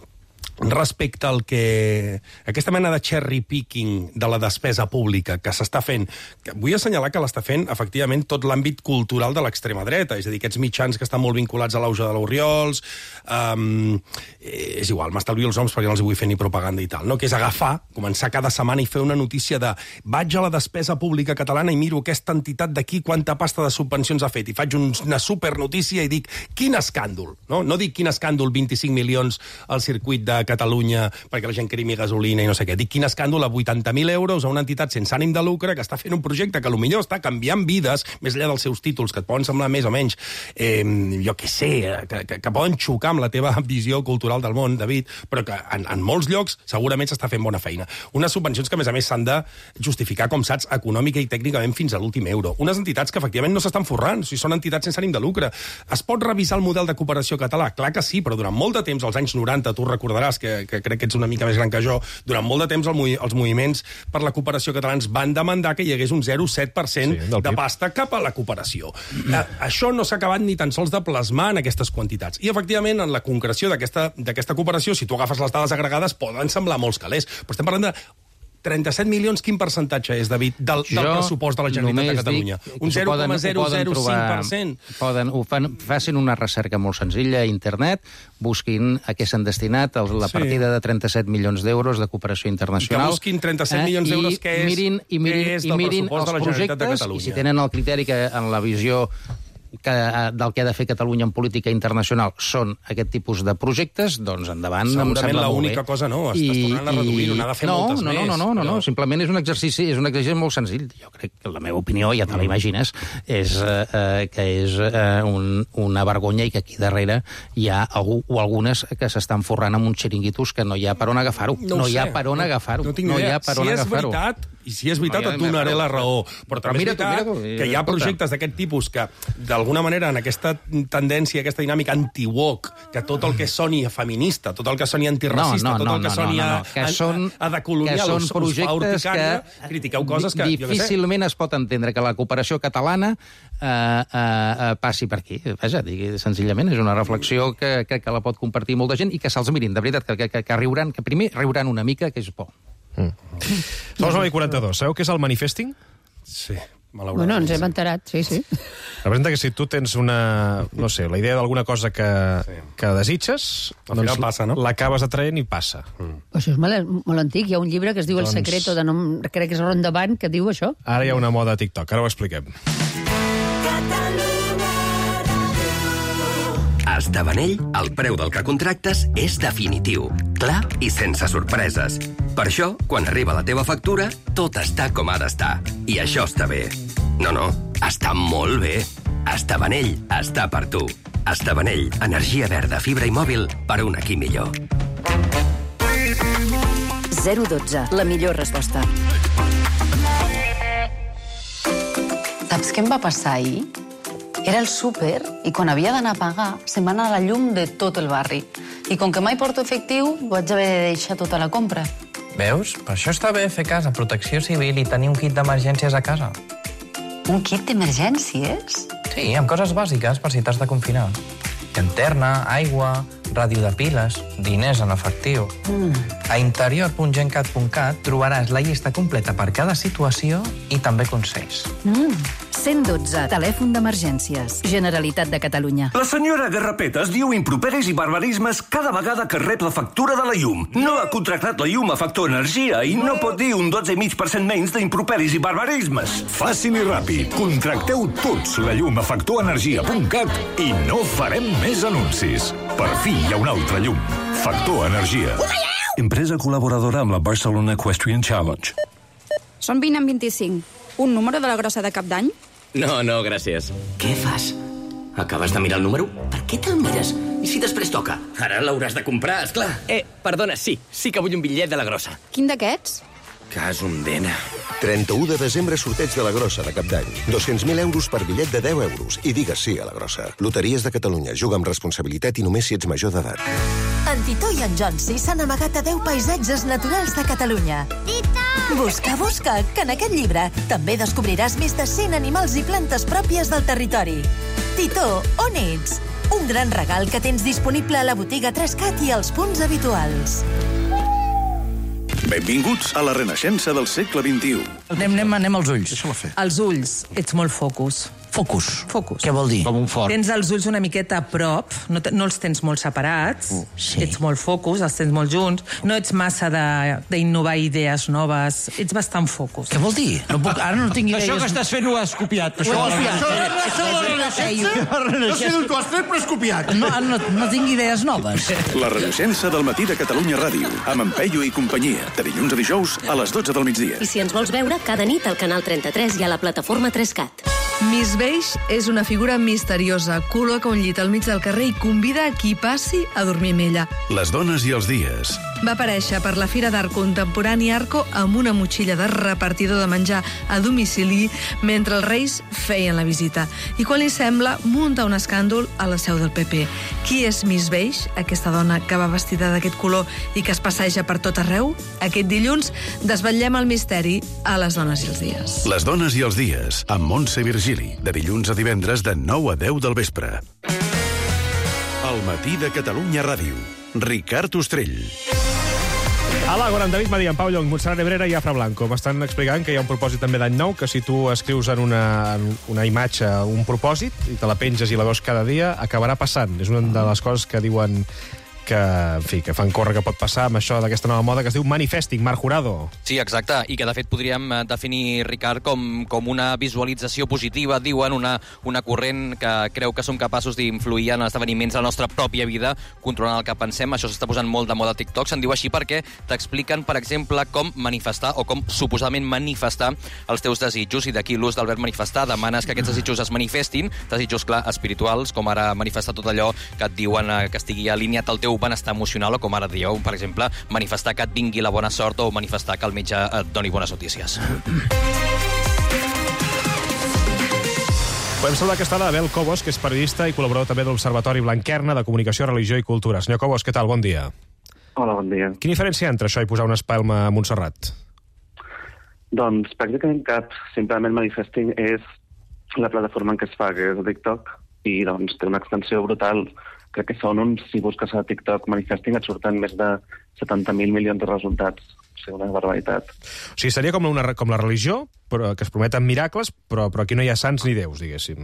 Respecte al que... aquesta mena de cherry picking de la despesa pública que s'està fent, que vull assenyalar que l'està fent, efectivament, tot l'àmbit cultural de l'extrema dreta, és a dir, aquests mitjans que estan molt vinculats a l'auge de l'Oriols, um, és igual, m'estalvio els noms perquè no els vull fer ni propaganda i tal, no? Que és agafar, començar cada setmana i fer una notícia de vaig a la despesa pública catalana i miro aquesta entitat d'aquí quanta pasta de subvencions ha fet, i faig una supernotícia i dic, quin escàndol, no? No dic quin escàndol, vint-i-cinc milions al circuit de Catalunya perquè la gent crimi gasolina i no sé què. Dic, quin escàndol a vuitanta mil euros a una entitat sense ànim de lucre que està fent un projecte que potser està canviant vides, més enllà dels seus títols, que et poden semblar més o menys, eh, jo què sé, que, que, que poden xocar amb la teva visió cultural del món, David, però que en, en molts llocs segurament s'està fent bona feina. Unes subvencions que, a més a més, s'han de justificar, com saps, econòmica i tècnicament fins a l'últim euro. Unes entitats que, efectivament, no s'estan forrant, o sigui, són entitats sense ànim de lucre. Es pot revisar el model de cooperació català? Clar que sí, però durant molt de temps, als anys noranta, tu recordaràs que, que crec que ets una mica més gran que jo, durant molt de temps el, els moviments per la cooperació catalans van demandar que hi hagués un zero coma set per cent sí, de pasta cap a la cooperació. Mm. Eh, això no s'ha acabat ni tan sols de plasmar en aquestes quantitats. I, efectivament, en la concreció d'aquesta cooperació, si tu agafes les dades agregades, poden semblar molts calés. Però estem parlant de trenta-set milions, quin percentatge és, David, del, del pressupost de la Generalitat de Catalunya? Un zero coma zero zero cinc per cent? Poden, ho fan, facin una recerca molt senzilla a internet, busquin a què s'han destinat la sí. partida de trenta-set milions d'euros de cooperació internacional. I que busquin trenta-set milions d'euros, què és, mirin, i mirin, què és del del mirin pressupost de la Generalitat de Catalunya. I si tenen el criteri que en la visió que, del que ha de fer Catalunya en política internacional són aquest tipus de projectes, doncs endavant. Segurament l'única cosa no, estàs tornant a reduir-ho, n'ha de fer no, moltes no, més. No, no, no, no, no, simplement és un exercici, és un exercici molt senzill. Jo crec que la meva opinió, ja te la imagines, és eh, que és eh, un, una vergonya i que aquí darrere hi ha algú o algunes que s'estan forrant amb uns xiringuitos que no hi ha per on agafar-ho. No, no hi ha per on agafar-ho. No, no, no hi ha per on si agafar-ho. És veritat, i si és veritat, no, et donaré la raó. Però, però també és veritat que hi ha projectes d'aquest tipus que, d'alguna manera, en aquesta tendència, aquesta dinàmica anti-woke que tot el que soni feminista, tot el que soni antiracista, no, no, tot el que no, soni no, no, no. Que són, a, a, a decolonial, que són us, us projectes fa que critiqueu coses que... difícilment es pot entendre que la cooperació catalana eh, eh, passi per aquí. Vaja, digui, senzillament és una reflexió que crec que la pot compartir molta gent i que se'ls mirin, de veritat, que, que, que riuran, que primer riuran una mica, que és por. Mm. Són les nou i quaranta-dos. Sabeu què és el manifesting? Sí. Bueno, ens hem enterat, sí, sí. Representa que si tu tens una, no sé, la idea d'alguna cosa que, sí. que desitges, al final passa, no? L'acabes atraent i passa. Mm. Això és molt, molt antic. Hi ha un llibre que es diu doncs... El secreto, de nom, crec que és Ron Davant, que diu això. Ara hi ha una moda a TikTok, ara ho expliquem. A Estavanell, el preu del que contractes és definitiu, clar i sense sorpreses. Per això, quan arriba la teva factura, tot està com ha d'estar. I això està bé. No, no, està molt bé. Estavanell està per tu. Estavanell, energia verda, fibra i mòbil per un aquí millor. zero dotze, la millor resposta. Saps què em va passar ahir? Era el súper i quan havia d'anar a pagar se'm va anar la llum de tot el barri. I com que mai porto efectiu, vaig haver de deixar tota la compra. Veus? Per això està bé fer cas a Protecció Civil i tenir un kit d'emergències a casa. Un kit d'emergències? Sí, amb coses bàsiques per si t'has de confinar. Llanterna, aigua, ràdio de piles, diners en efectiu. Mm. A interior punt gencat punt cat trobaràs la llista completa per cada situació i també consells. Mm. cent dotze, telèfon d'emergències. Generalitat de Catalunya. La senyora Garrapetes diu improperis i barbarismes cada vegada que rep la factura de la llum. No ha contractat la llum a Factor Energia i no pot dir un dotze coma cinc per cent menys d'improperis i barbarismes. Fàcil i ràpid. Contracteu tots la llum a factor energia punt cat i no farem més anuncis. Per fi hi ha una altra llum. Factor Energia. Empresa col·laboradora amb la Barcelona Equestrian Challenge. Són vint en vint-i-cinc. Un número de la grossa de cap d'any? No, no, gràcies. Què fas? Acabes de mirar el número? Per què te'l mires? I si després toca? Ara l'hauràs de comprar, esclar. Eh, perdona, sí. Sí que vull un bitllet de la grossa. Quin d'aquests? Cas un dena. trenta-u de desembre, sorteig de la grossa de cap d'any. dos-cents mil euros per bitllet de deu euros. I digues sí a la grossa. Loteries de Catalunya. Juga amb responsabilitat i només si ets major d'edat. En Titó i en Jonsi s'han amagat a deu paisatges naturals de Catalunya. Titó! Busca, busca, que en aquest llibre també descobriràs més de cent animals i plantes pròpies del territori. Titó, on ets? Un gran regal que tens disponible a la botiga tres cat i als punts habituals. Benvinguts a la renaixença del segle vint-i-u. Anem, anem, anem als ulls. Deixa-la fer. Els ulls, ets molt focus. Focus. Focus. Què vol dir? Com un fort. Tens els ulls una miqueta a prop, no, te, no els tens molt separats, uh, sí. Ets molt focus, els tens molt junts, no ets massa d'innovar idees noves, ets bastant focus. Què vol dir? No puc, ara no tinc idees... Això que estàs fent ho has copiat. Això ho has copiat. Això de la renaixença? No sé d'on t'ho has fet, però has copiat. No, no, no tinc idees noves. La renaixença del matí de Catalunya Ràdio, amb en Peyu i companyia, de dilluns a dijous a les dotze del migdia. I si ens vols veure, cada nit al canal trenta-tres i a la plataforma tres cat. Miss Beige és una figura misteriosa. Col·loca un llit al mig del carrer i convida a qui passi a dormir amb ella. Les dones i els dies. Va aparèixer per la Fira d'Art Contemporani Arco amb una motxilla de repartidor de menjar a domicili mentre els reis feien la visita. I quan li sembla, munta un escàndol a la seu del P P. Qui és Miss Beige, aquesta dona que va vestida d'aquest color i que es passeja per tot arreu? Aquest dilluns desvetllem el misteri a Les dones i els dies. Les dones i els dies, amb Montse Virgili, de dilluns a divendres de nou a deu del vespre. El matí de Catalunya Ràdio. Ricard Ostrell. A l'Àgora, en David Madí, en Pau Llong, Montserrat Nebrera i Afra Blanco. M'estan explicant que hi ha un propòsit també d'any nou, que si tu escrius en una, en una imatge un propòsit i te la penges i la veus cada dia, acabarà passant. És una de les coses que diuen que, en fi, que fan córrer que pot passar amb això d'aquesta nova moda que es diu manifesting. Marc Jurado. Sí, exacte, i que de fet podríem definir, Ricard, com, com una visualització positiva, diuen, una, una corrent que creu que som capaços d'influir en esdeveniments de la nostra pròpia vida, controlant el que pensem. Això s'està posant molt de moda a TikTok. Se'n diu així perquè t'expliquen, per exemple, com manifestar o com suposadament manifestar els teus desitjos, i d'aquí l'ús del verb manifestar. Demanes que aquests desitjos es manifestin, desitjos, clar, espirituals, com ara manifestar tot allò que et diuen que estigui alineat al teu benestar emocional, o com ara dieu, per exemple, manifestar que et vingui la bona sort o manifestar que el metge et doni bones notícies. Podem saludar aquesta tarda Abel Cobos, que és periodista i col·laborador també de l'Observatori Blanquerna de Comunicació, Religió i Cultura. Senyor Cobos, què tal? Bon dia. Hola, bon dia. Quina diferència hi ha entre això i posar una espelma a Montserrat? Doncs pràcticament cap. Simplement Manifesting és la plataforma en què es fa, que és a TikTok, i doncs té una extensió brutal. Crec que són uns, si busques a TikTok Manifesting, et surten més de setanta mil milions de resultats. O sigui, una barbaritat. O sigui, seria com, una, com la religió, però que es prometen miracles, però, però aquí no hi ha sants ni déus, diguéssim.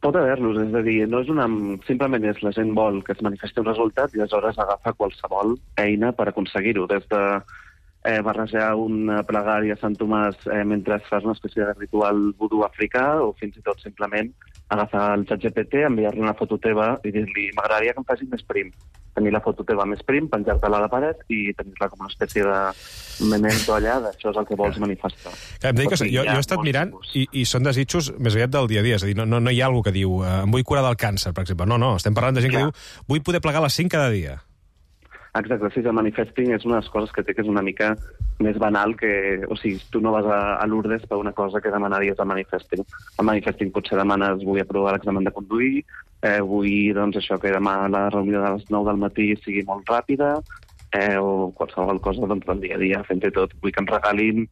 Pot haver-los, és a dir, no és una... simplement és la gent vol que es manifesti un resultat i aleshores agafa qualsevol eina per aconseguir-ho, des de eh, barrejar una plegària a Sant Tomàs eh, mentre fas una espècie de ritual vudú africà, o fins i tot simplement agafar el xat G P T, enviar-li una foto teva i dir-li m'agradaria que em facis més prim. Tenir la foto teva més prim, penjar-te-la a la paret i tenir-la com una espècie de memento allà, d'això és el que vols manifestar. Que em dic que jo, jo he estat mirant i, i són desitjos més aviat del dia a dia, és a dir, no, no, no hi ha algú que diu eh, em vull curar del càncer, per exemple. No, no, estem parlant de gent que diu vull poder plegar a les cinc cada dia. Exacte, sí, el manifesting és una de les coses que té que és una mica més banal que... O sigui, tu no vas a, a Lourdes per una cosa que demanaries al manifesting. Al manifesting potser demanes vull aprovar l'examen de conduir, eh, vull doncs, això que demà la reunió de les nou del matí sigui molt ràpida, eh, o qualsevol cosa doncs, del dia a dia, fins i tot vull que em regalin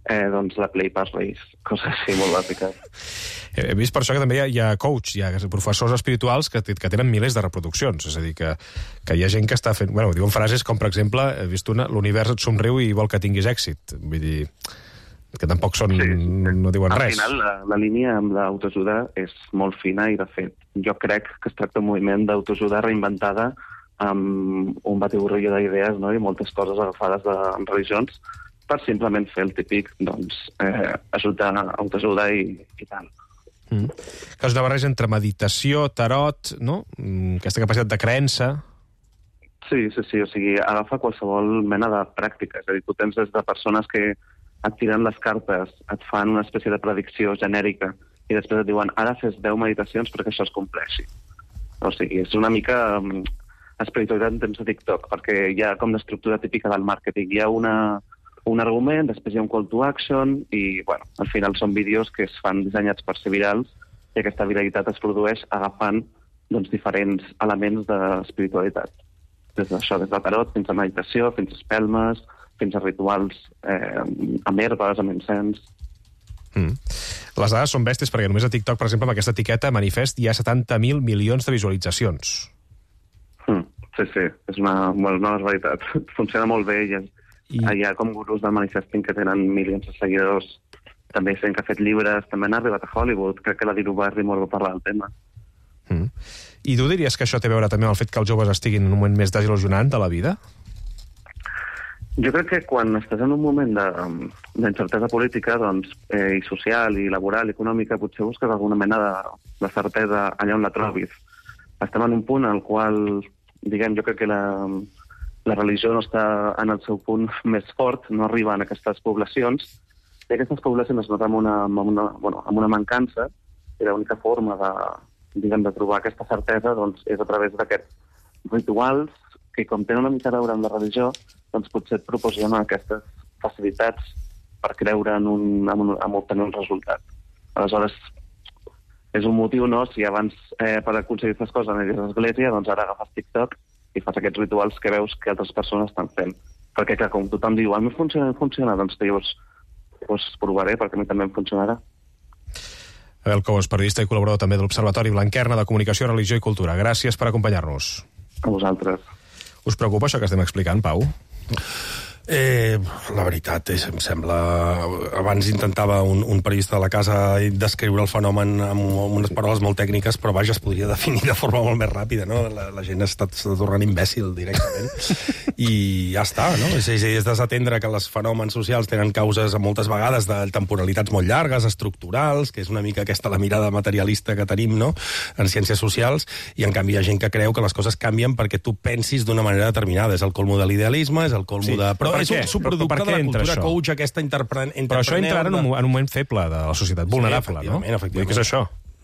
eh, doncs, la Play Pass Race, coses així molt bàsiques. He vist per això que també hi ha, hi ha coach, hi ha professors espirituals que, que tenen milers de reproduccions. És a dir, que, que hi ha gent que està fent... Bueno, diuen frases com, per exemple, he vist una, l'univers et somriu i vol que tinguis èxit. Vull dir, que tampoc són... Sí, sí. No diuen Al res. Al final, la, la línia amb l'autoajuda és molt fina i, de fet, jo crec que es tracta d'un moviment d'autoajuda reinventada amb un batiburrillo d'idees, no? I moltes coses agafades de religions per simplement fer el típic, doncs, eh, ajudar, autoajuda i, i tal. Mm. Que és una barreja entre meditació, tarot, no? Aquesta capacitat de creença. Sí, sí, sí, o sigui, agafa qualsevol mena de pràctica. És a dir, tu tens des de persones que et tiren les cartes, et fan una espècie de predicció genèrica i després et diuen ara fes deu meditacions perquè això es compleixi. O sigui, és una mica um, espiritualitat en temps de TikTok, perquè hi ha com l'estructura típica del màrqueting. Hi ha una... un argument, després hi ha un call to action i, bueno, al final són vídeos que es fan dissenyats per ser virals i aquesta viralitat es produeix agafant doncs, diferents elements d'espiritualitat. Des d'això, des de tarot, fins a meditació, fins a espelmes, fins a rituals eh, amb herbes, amb encens... Mm. Les dades són bèsties perquè només a TikTok, per exemple, amb aquesta etiqueta manifest hi ha setanta mil milions de visualitzacions. Mm. Sí, sí, és una, bueno, una veritat. Funciona molt bé i és... I... Hi ha com gurus del manifesting que tenen milions de seguidors, també gent que ha fet llibres, també han arribat a Hollywood, crec que la Diru Barrymore va parlar del tema. Mm. I tu diries que això té a veure també amb el fet que els joves estiguin en un moment més desil·lusionant de la vida? Jo crec que quan estàs en un moment d'incertesa política doncs, eh, i social, i laboral, i econòmica, potser busques alguna mena de, de certesa allà on la trobis. Estem en un punt en el qual, diguem, jo crec que la... la religió no està en el seu punt més fort, no arriba a aquestes poblacions, i aquestes poblacions es noten amb una, amb una, bueno, amb una mancança, i l'única forma de, diguem, de trobar aquesta certesa doncs, és a través d'aquests rituals que, com tenen una mica a veure amb la religió, doncs potser et proporcionen aquestes facilitats per creure en, un, en, un, en obtenir un resultat. Aleshores, és un motiu, no?, si abans eh, per aconseguir aquestes coses aniries a l'església, doncs ara agafes TikTok i fas aquests rituals que veus que altres persones estan fent. Perquè, clar, com tothom diu, a mi funciona, funciona, doncs dius, doncs provaré, perquè a mi també em funcionarà. Abel Cobos, periodista i col·laborador també de l'Observatori Blanquerna de Comunicació, Religió i Cultura. Gràcies per acompanyar-nos. A vosaltres. Us preocupa això que estem explicant, Pau? Eh, la veritat és, em sembla... Abans intentava un, un periodista de la casa descriure el fenomen amb, amb unes paraules molt tècniques, però vaja, es podria definir de forma molt més ràpida, no? La, la gent està, està tornant imbècil directament. I ja està, no? És, és, és desatendre que els fenòmens socials tenen causes moltes vegades de temporalitats molt llargues, estructurals, que és una mica aquesta la mirada materialista que tenim, no?, en ciències socials, i en canvi hi ha gent que creu que les coses canvien perquè tu pensis d'una manera determinada. És el colmo de l'idealisme, és el colmo sí, de... Però és un subproducte de la cultura això? Coach, aquesta interprenent... Però això entra en un, en un moment feble de la societat, vulnerable, sí, efectivament, no? Efectivament, què és això?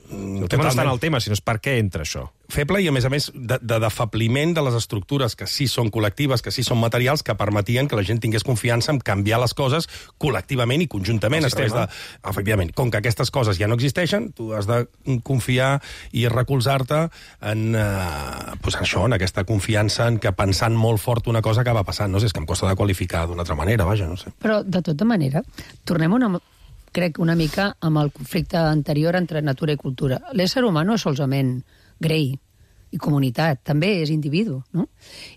El tema no està en el tema, sinó és per què entra això. Feble i, a més a més, de, de defabliment de les estructures que sí són col·lectives, que sí són materials, que permetien que la gent tingués confiança en canviar les coses col·lectivament i conjuntament. A través de, efectivament, com que aquestes coses ja no existeixen, tu has de confiar i recolzar-te en, eh, pues això, en aquesta confiança en que pensant molt fort una cosa acaba passant. No sé, és que em costa de qualificar d'una altra manera, vaja, no sé. Però, de tota manera, tornem una... crec una mica amb el conflicte anterior entre natura i cultura. L'ésser humà no és solament grei i comunitat, també és individu, no?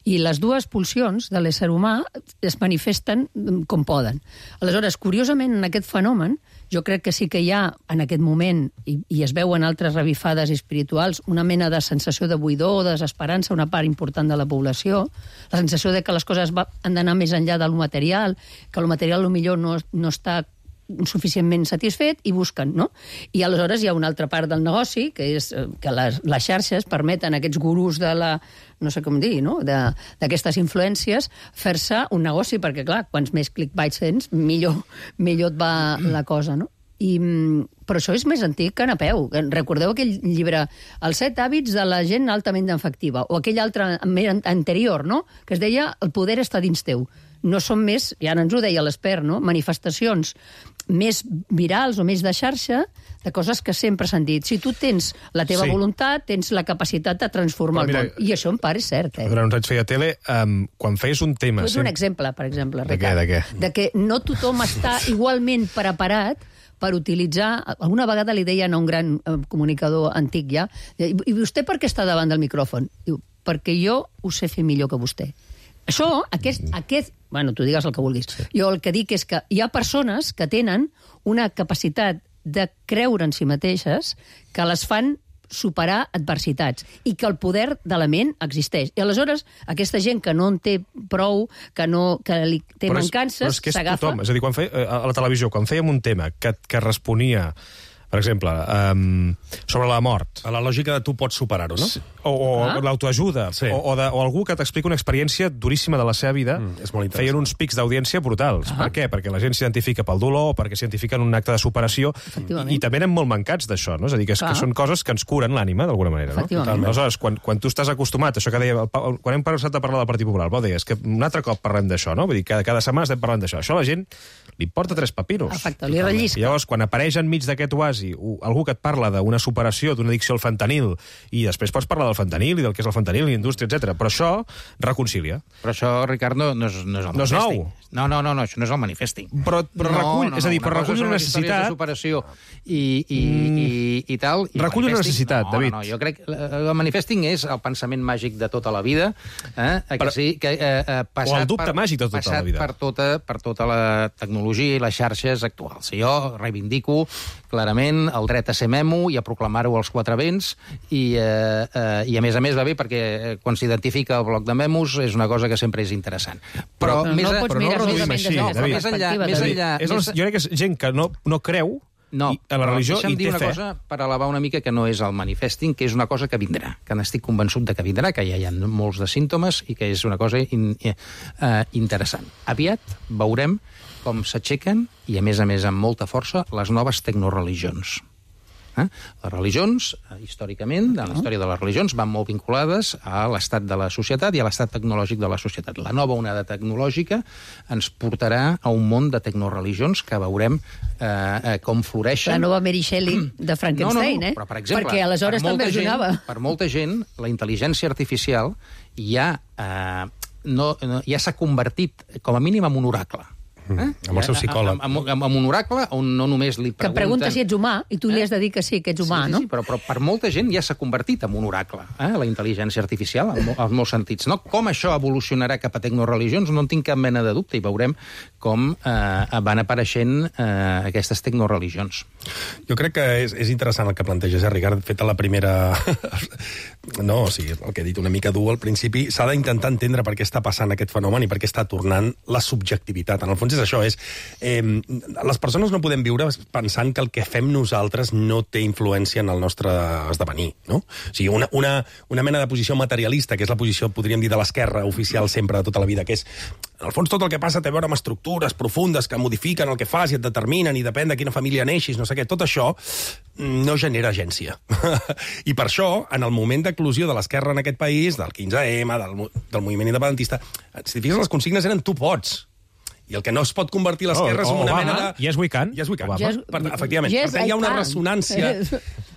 I les dues pulsions de l'ésser humà es manifesten com poden. Aleshores, curiosament, en aquest fenomen, jo crec que sí que hi ha, en aquest moment, i, i es veuen altres revifades espirituals, una mena de sensació de buidor, de desesperança, una part important de la població, la sensació de que les coses va, han d'anar més enllà del material, que el material millor no, no està suficientment satisfet i busquen, no? I aleshores hi ha una altra part del negoci, que és que les, les xarxes permeten a aquests gurus de la, no sé com dir, no? d'aquestes influències, fer-se un negoci, perquè, clar, quants més clickbaits tens, millor, millor et va la cosa, no? I, però això és més antic que Napeu. Recordeu aquell llibre, Els set hàbits de la gent altament efectiva, o aquell altre anterior, no? Que es deia El poder està dins teu. No són més, ja ens ho deia l'expert, no? Manifestacions més virals o més de xarxa de coses que sempre s'han dit. Si tu tens la teva sí. voluntat, tens la capacitat de transformar mira, el món. I això en part és cert, eh? Durant uns anys feia tele, um, quan feies un tema... Tu ets un exemple, per exemple, de Ricard. Què, de què? De que no tothom està igualment preparat per utilitzar... Alguna vegada li deien a un gran eh, comunicador antic ja, i vostè per què està davant del micròfon? Diu, perquè jo ho sé fer millor que vostè. Això, aquest, aquest... Bueno, tu digues el que vulguis. Sí. Jo el que dic és que hi ha persones que tenen una capacitat de creure en si mateixes que les fan superar adversitats i que el poder de la ment existeix. I aleshores, aquesta gent que no en té prou, que, no, que li té però mancances, és, però és que és s'agafa... tothom. És a dir, quan feia, a la televisió, quan fèiem un tema que, que responia... Per exemple, um, sobre la mort. A la lògica de tu pots superar-ho, no? Sí. O, o ah. l'autoajuda, sí. o, o, de, o algú que t'explica una experiència duríssima de la seva vida, mm, és molt feien uns pics d'audiència brutals. Ah. Per què? Perquè la gent s'identifica pel dolor, perquè s'identifica en un acte de superació, i, i també anem molt mancats d'això, no? És a dir, que, és, que són coses que ens curen l'ànima, d'alguna manera, no? Aleshores, quan, quan tu estàs acostumat, això que deia, quan hem passat a parlar del Partit Popular, Pau, deies que un altre cop parlem d'això, no? Vull dir, cada, cada setmana estem parlant d'això. Això a la gent li importa tres papiros. Perfecte, li rellisca. I llavors, quan apareix enmig d'aquest oasi algú que et parla d'una superació, d'una addicció al fentanil, i després pots parlar del fentanil i del que és el fentanil, la indústria, etcètera. Però això reconcilia. Però això, Ricard, no, no, és, no és el no és manifesting. nou. No, no, no, no, això no és el manifesting. Però, però no, recull, no, no, és a dir, una però recull una necessitat... De superació i, i, mm, i, i tal. I recull una necessitat, no, David. No, no, jo crec que el manifesting és el pensament màgic de tota la vida, eh, que però, sí, que, eh, passat o el dubte per, màgic de tota la vida. Per tota, per tota la tecnologia i les xarxes actuals. Jo reivindico clarament el dret a ser memo i a proclamar-ho als quatre vents, i, eh, eh, i a més a més va bé perquè quan s'identifica el bloc de memos és una cosa que sempre és interessant. Però, però més, no pots mirar no així, no, però més enllà... Més enllà és el, jo crec que és gent que no, no creu no, a la religió i té fe. Deixa'm dir una cosa per elevar una mica que no és el manifesting, que és una cosa que vindrà, que n'estic convençut de que vindrà, que ja hi ha molts de símptomes i que és una cosa in, uh, interessant. Aviat veurem com s'aixequen, i a més a més amb molta força, les noves tecnoreligions. Eh? Les religions, històricament, en la història de les religions, van molt vinculades a l'estat de la societat i a l'estat tecnològic de la societat. La nova onada tecnològica ens portarà a un món de tecnoreligions que veurem eh, com floreixen. La nova Mary Shelley de Frankenstein, no, no, no, eh? però, per exemple, perquè aleshores per també gent, donava. Per molta gent, la intel·ligència artificial ja, eh, no, no, ja s'ha convertit, com a mínim, en un oracle. Eh? Amb el seu psicòleg. Amb, amb, amb un oracle on no només li pregunten... Que pregunta si ets humà, i tu li has de dir que sí, que ets humà, sí, sí, no? Sí, però, però per molta gent ja s'ha convertit en un oracle, eh? La intel·ligència artificial, en, en molts sentits. No? Com això evolucionarà cap a tecnoreligions, no en tinc cap mena de dubte, i veurem com eh, van apareixent eh, aquestes tecnoreligions. Jo crec que és, és interessant el que planteges, eh, Ricard, fet a la primera... no, o sigui, el que he dit una mica dur al principi, s'ha d'intentar entendre per què està passant aquest fenomen i per què està tornant la subjectivitat. En el fons és això, és... Eh, les persones no podem viure pensant que el que fem nosaltres no té influència en el nostre esdevenir, no? O sigui, una, una, una mena de posició materialista, que és la posició, podríem dir, de l'esquerra oficial sempre de tota la vida, que és En el fons, tot el que passa té a veure amb estructures profundes que modifiquen el que fas i et determinen i depèn de quina família neixis, no sé què. Tot això no genera agència. I per això, en el moment d'eclosió de l'esquerra en aquest país, del quinze ema, del, del moviment independentista, si fixes, les consignes eren tu pots. I el que no es pot convertir l'esquerra és una mena de... Yes, we can. Yes, we can. Yes, per, efectivament. yes, per tant, hi ha una I ressonància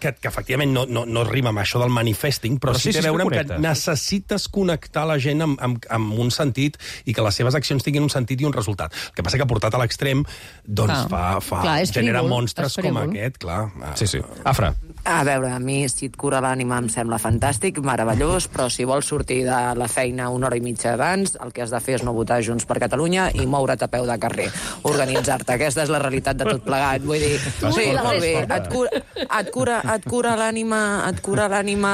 que, que efectivament no, no, no rima amb això del manifesting, però, però sí, sí té a veure amb que necessites connectar la gent amb, amb, amb un sentit i que les seves accions tinguin un sentit i un resultat. El que passa que portat a l'extrem doncs fa, fa clar, genera frívol, monstres com aquest, clar. Sí, sí. Afra. A veure, a mi si et cura l'ànima em sembla fantàstic, meravellós, però si vols sortir de la feina una hora i mitja abans, el que has de fer és no votar Junts per Catalunya i moure't a peu de carrer, organitzar-te. Aquesta és la realitat de tot plegat. Vull dir, sí, molt bé, et cura, et cura, et cura l'ànima, et cura l'ànima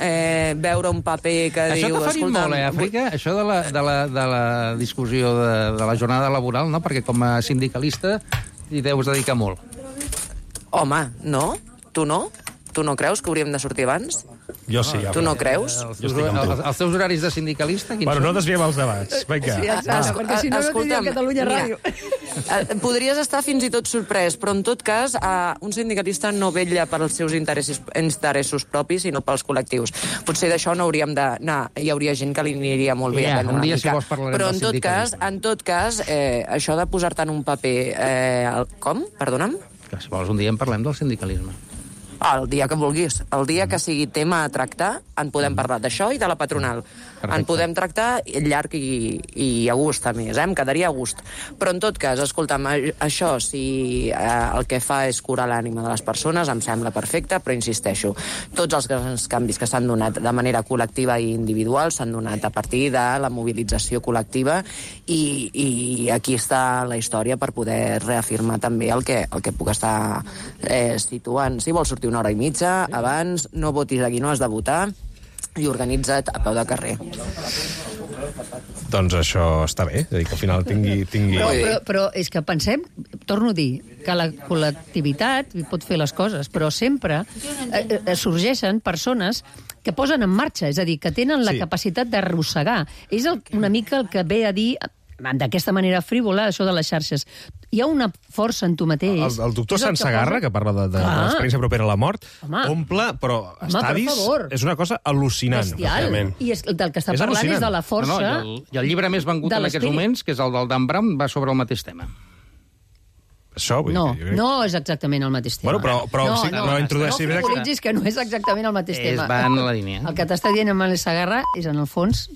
eh, veure un paper que això diu... Això t'ha ferit molt, eh, Àfrica? Això de la, de la, de la discussió de, de la jornada laboral, no? Perquè com a sindicalista hi deus dedicar molt. Home, no? Tu no? Tu no creus que hauríem de sortir abans? Jo sí. Tu no creus? Els, teus, els, els teus horaris de sindicalista? Bueno, no desviem els debats. Vinga. Sí, exacte, perquè si no, no tindríem Catalunya Ràdio. Mira, podries estar fins i tot sorprès, però en tot cas un sindicalista no vetlla pels seus interessos, interessos propis, sinó pels col·lectius. Potser d'això no hauríem d'anar. Hi hauria gent que li aniria molt bé yeah, a prendre un dia, una mica. Si vols, parlarem però en tot cas, en tot cas eh, això de posar-te en un paper... Eh, el, com? Perdona'm? Que si vols un dia en parlem del sindicalisme. El dia que vulguis. El dia que sigui tema a tractar, en podem parlar d'això i de la patronal. Perfecte. En podem tractar llarg i, i a gust, a més, eh? Em quedaria a gust. Però, en tot cas, escolta'm, això, si eh, el que fa és curar l'ànima de les persones, em sembla perfecte, però insisteixo, tots els grans canvis que s'han donat de manera col·lectiva i individual s'han donat a partir de la mobilització col·lectiva i, i aquí està la història per poder reafirmar també el que, el que puc estar eh, situant. Si vols sortir una hora i mitja, abans, no votis a qui no has de votar i organitza't a peu de carrer. Doncs això està bé, és a dir, que al final tingui... tingui... No, però, però és que pensem, torno a dir, que la col·lectivitat pot fer les coses, però sempre eh, eh, sorgeixen persones que posen en marxa, és a dir, que tenen la Sí. capacitat d'arrossegar. És el, una mica el que ve a dir d'aquesta manera frívola, això de les xarxes. Hi ha una força en tu mateix. El, el doctor és el Sansegarra, que, posa... que parla de, de, de l'experiència propera a la mort, Home. omple, però Home, estadis, per favor. és una cosa al·lucinant. Bestial. I és, del que està És parlant al·lucinant. és de la força... No, no, i, el, I el llibre més vengut de en aquests l'esperit. moments, que és el del Dan Brown, va sobre el mateix tema. Això, vull No, dir, jo crec- no és exactament el mateix tema. Bueno, però- però no, sí, no, però introdueixi- No frivolitzis que no és exactament el mateix És tema. va en la línia. El que t'està dient amb el Segarra és, en el fons,